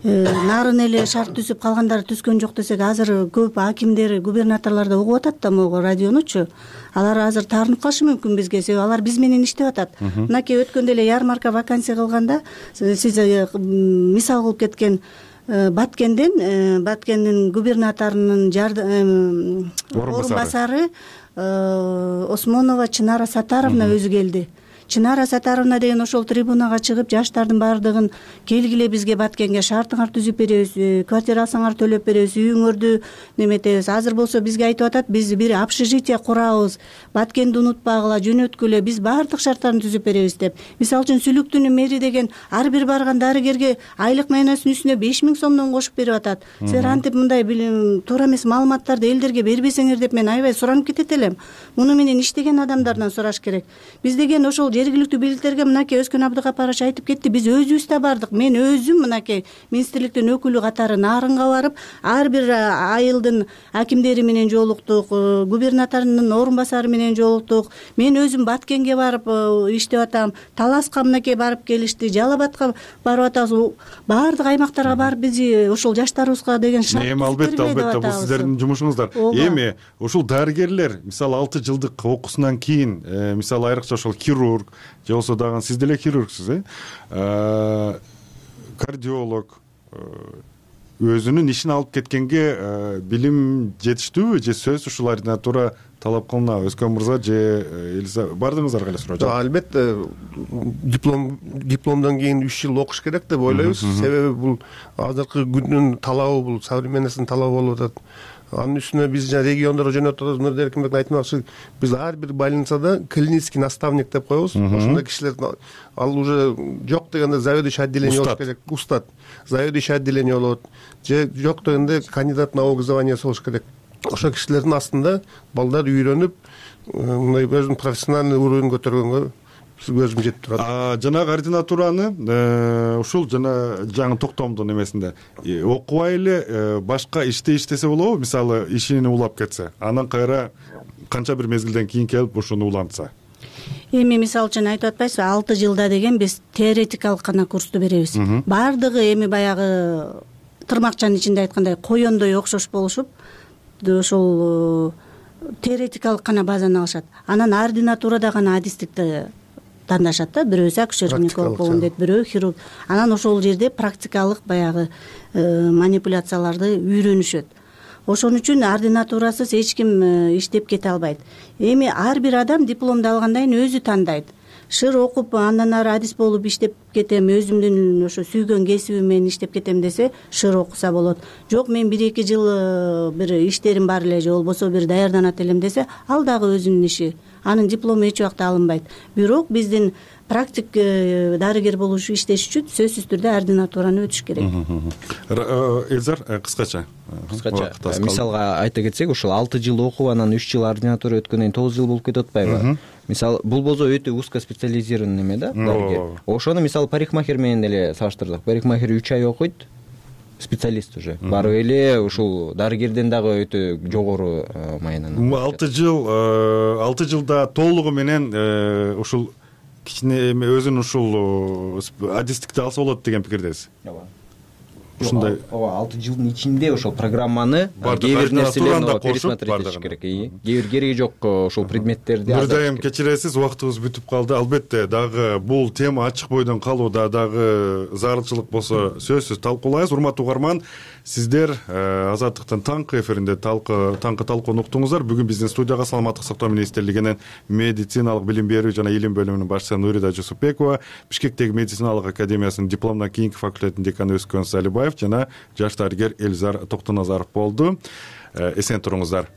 Нарын эле шарт түзүп калгандары түзгөн жок десек, азыр көп акимдер, губернаторлор да угуп атат да могу радионучу. Алар азыр таарынып калышы мүмкүн бизге, себеби алар биз менен иштеп атат. Мынакей өткөндө эле ярмарка вакансия кылганда сиз мисал кылып кеткен Баткенден, Баткендин губернаторунун орун басары Осмонова Чынара Сатаровна өзү келди. Чынара Сатаровна деген ошол трибунага чыгып, жаштардын баардыгын келгиле бизге Баткенге шартыңар түзүп беребиз, квартира алсаңар төлөп беребиз, үйүңөрдү неметебиз. Азыр болсо бизге айтып атат, биз бир общежитие курабыз, Баткенди унутпагыла, жөнөткүлө, биз баардык шарттарын түзүп беребиз деп. Мисалы үчүн Сүлүктүнүн мэри деген ар бир барган дарыгерге айлык майнасынын үстүнө беш миң сомдон кошуп берип атат. Силер антип мындай туура эмес маалыматтарды элдерге бербесеңер деп мен аябай суранып кетет элем. Муну менен иштеген адамдардан сураш керек. Биз деген ошол жергиликтүү бийликтерге мынакей Өзкөн Абдыкапарович айтып кетти, биз өзүбүз да бардык. Мен өзүм мынакей министрликтин өкүлү катары Нарынга барып, ар бир айылдын акимдери менен жолуктук, губернаторунун орун басары менен жолуктук. Мен өзүм Баткенге барып иштеп атам, Таласка мынакей барып келишти, Жалал Абадка барып атабыз. Баардык аймактарга барып биз ошол жаштарыбызга деген шарт. Эми албетте, албетте бул сиздердин жумушуңуздар. Эми ушул дарыгерлер, мисалы алты жылдык окуусунан кийин, мисалы айрыкча ошол хирург же болсо дагы сиз деле хирургсуз, э кардиолог өзүнүн ишин алып кеткенге билим жетиштүүбү же сөз ушул ординатура талап кылынабы? Өзкөн мырза же Элза, бардыңыздарга эле суроо. Албетте диплом дипломдон кийин үч жыл окуш керек деп ойлойбуз. Себеби бул азыркы күндүн талабы, бул современностьтун талабы болуп атат. Анын үстүнө биз жана региондорго жөнөтүп атабыз. Нурдер Эркинбек айтмакчы, биз ар бир больницада клинический наставник деп коебуз. Ошондой кишилер ал уже жок дегенде заведующий отделение болуш керек, устат, заведующий отделение болот. Же жок дегенде кандидат наук званиясы болуш керек. Ошол кишилердин астында балдар үйрөнүп, мындай өзүнүн профессиональный уровень көтөргөнгө көзүм жетип турат. А жанагы ординатураны ушул жана жаңы токтомдун эмесинде окубай эле башка иште иштесе болобу? Мисалы ишини улап кетсе, анан кайра канча бир мезгилден кийин келип ушуну улантса. Эми мисалы үчүн айтып атпайсызбы, алты жылда деген биз теоретикалык гана курсту беребиз. Баардыгы эми баягы тырмакчанын ичинде айткандай коёндой окшош болушуп, ошол теоретикалык гана базаны алышат. Анан ординатурада гана адистикти тандашат да, бирөөсү акушер-гинеколог болгон дейт, бирөө хирург. Анан ошол жерде практикалык баягы манипуляцияларды үйрөнүшөт. Ошон үчүн ординатурасыз эч ким иштеп кете албайт. Эми ар бир адам дипломду алгандан кийин өзү тандайт. Шыр окуп, андан ары адис болуп иштеп кетем, өзүмдүн ошо сүйгөн кесибим менен иштеп кетем десе, шыр окуса болот. Жок, мен бир эки жыл бир иштерим бар эле, же болбосо бир даярданат элем десе, ал дагы өзүнүн иши. Анын диплому эч убакта алынбайт. Бирок биздин практик дарыгер болуш иштеш үчүн сөзсүз түрдө ординатураны өтүш керек. Элзар, кыскача. Кыскача. Мисалга айта кетсек, ушул алты жыл окуп, анан үч жыл ординатура өткөндөн кийин тогуз жыл болуп кетип атпайбы? Мисалы, бул болсо өтө узкоспециализированный неме да, дарыгер. Ошону мисалы парикмахер менен эле салыштырдык. Парикмахер үч ай окуйт, специалист уже. Барып эле ушул дарыгерден дагы өтө жогору маянаны. алты жыл, алты жылда толугу менен ушул кичине эми өзүнүн ушул адистикти алса болот деген пикирдесиз. Ооба. ушундай ооба алты жылдын ичинде ошол программаны кээ бир нерселерин пересмотреть этиш керек. Кээ бир кереги жок ошол предметтерди бир дайым кечиресиз, убактыбыз бүтүп калды. Албетте дагы бул тема ачык бойдон калууда, дагы зарылчылык болсо сөзсүз талкуулайбыз. Урматтуу угарман, сиздер Азаттыктын таңкы эфиринде таңкы талкууну уктуңуздар. Бүгүн биздин студияга саламаттык сактоо министрлигинин медициналык билим берүү жана илим бөлүмүнүн башчысы Нурида Жусупбекова, Бишкектеги медициналык академиясынын дипломдон кийинки факультетинин деканы Өскөн Салибаев жана жаш дарыгер Элзар Токтоназаров болду. Эсен туруңуздар.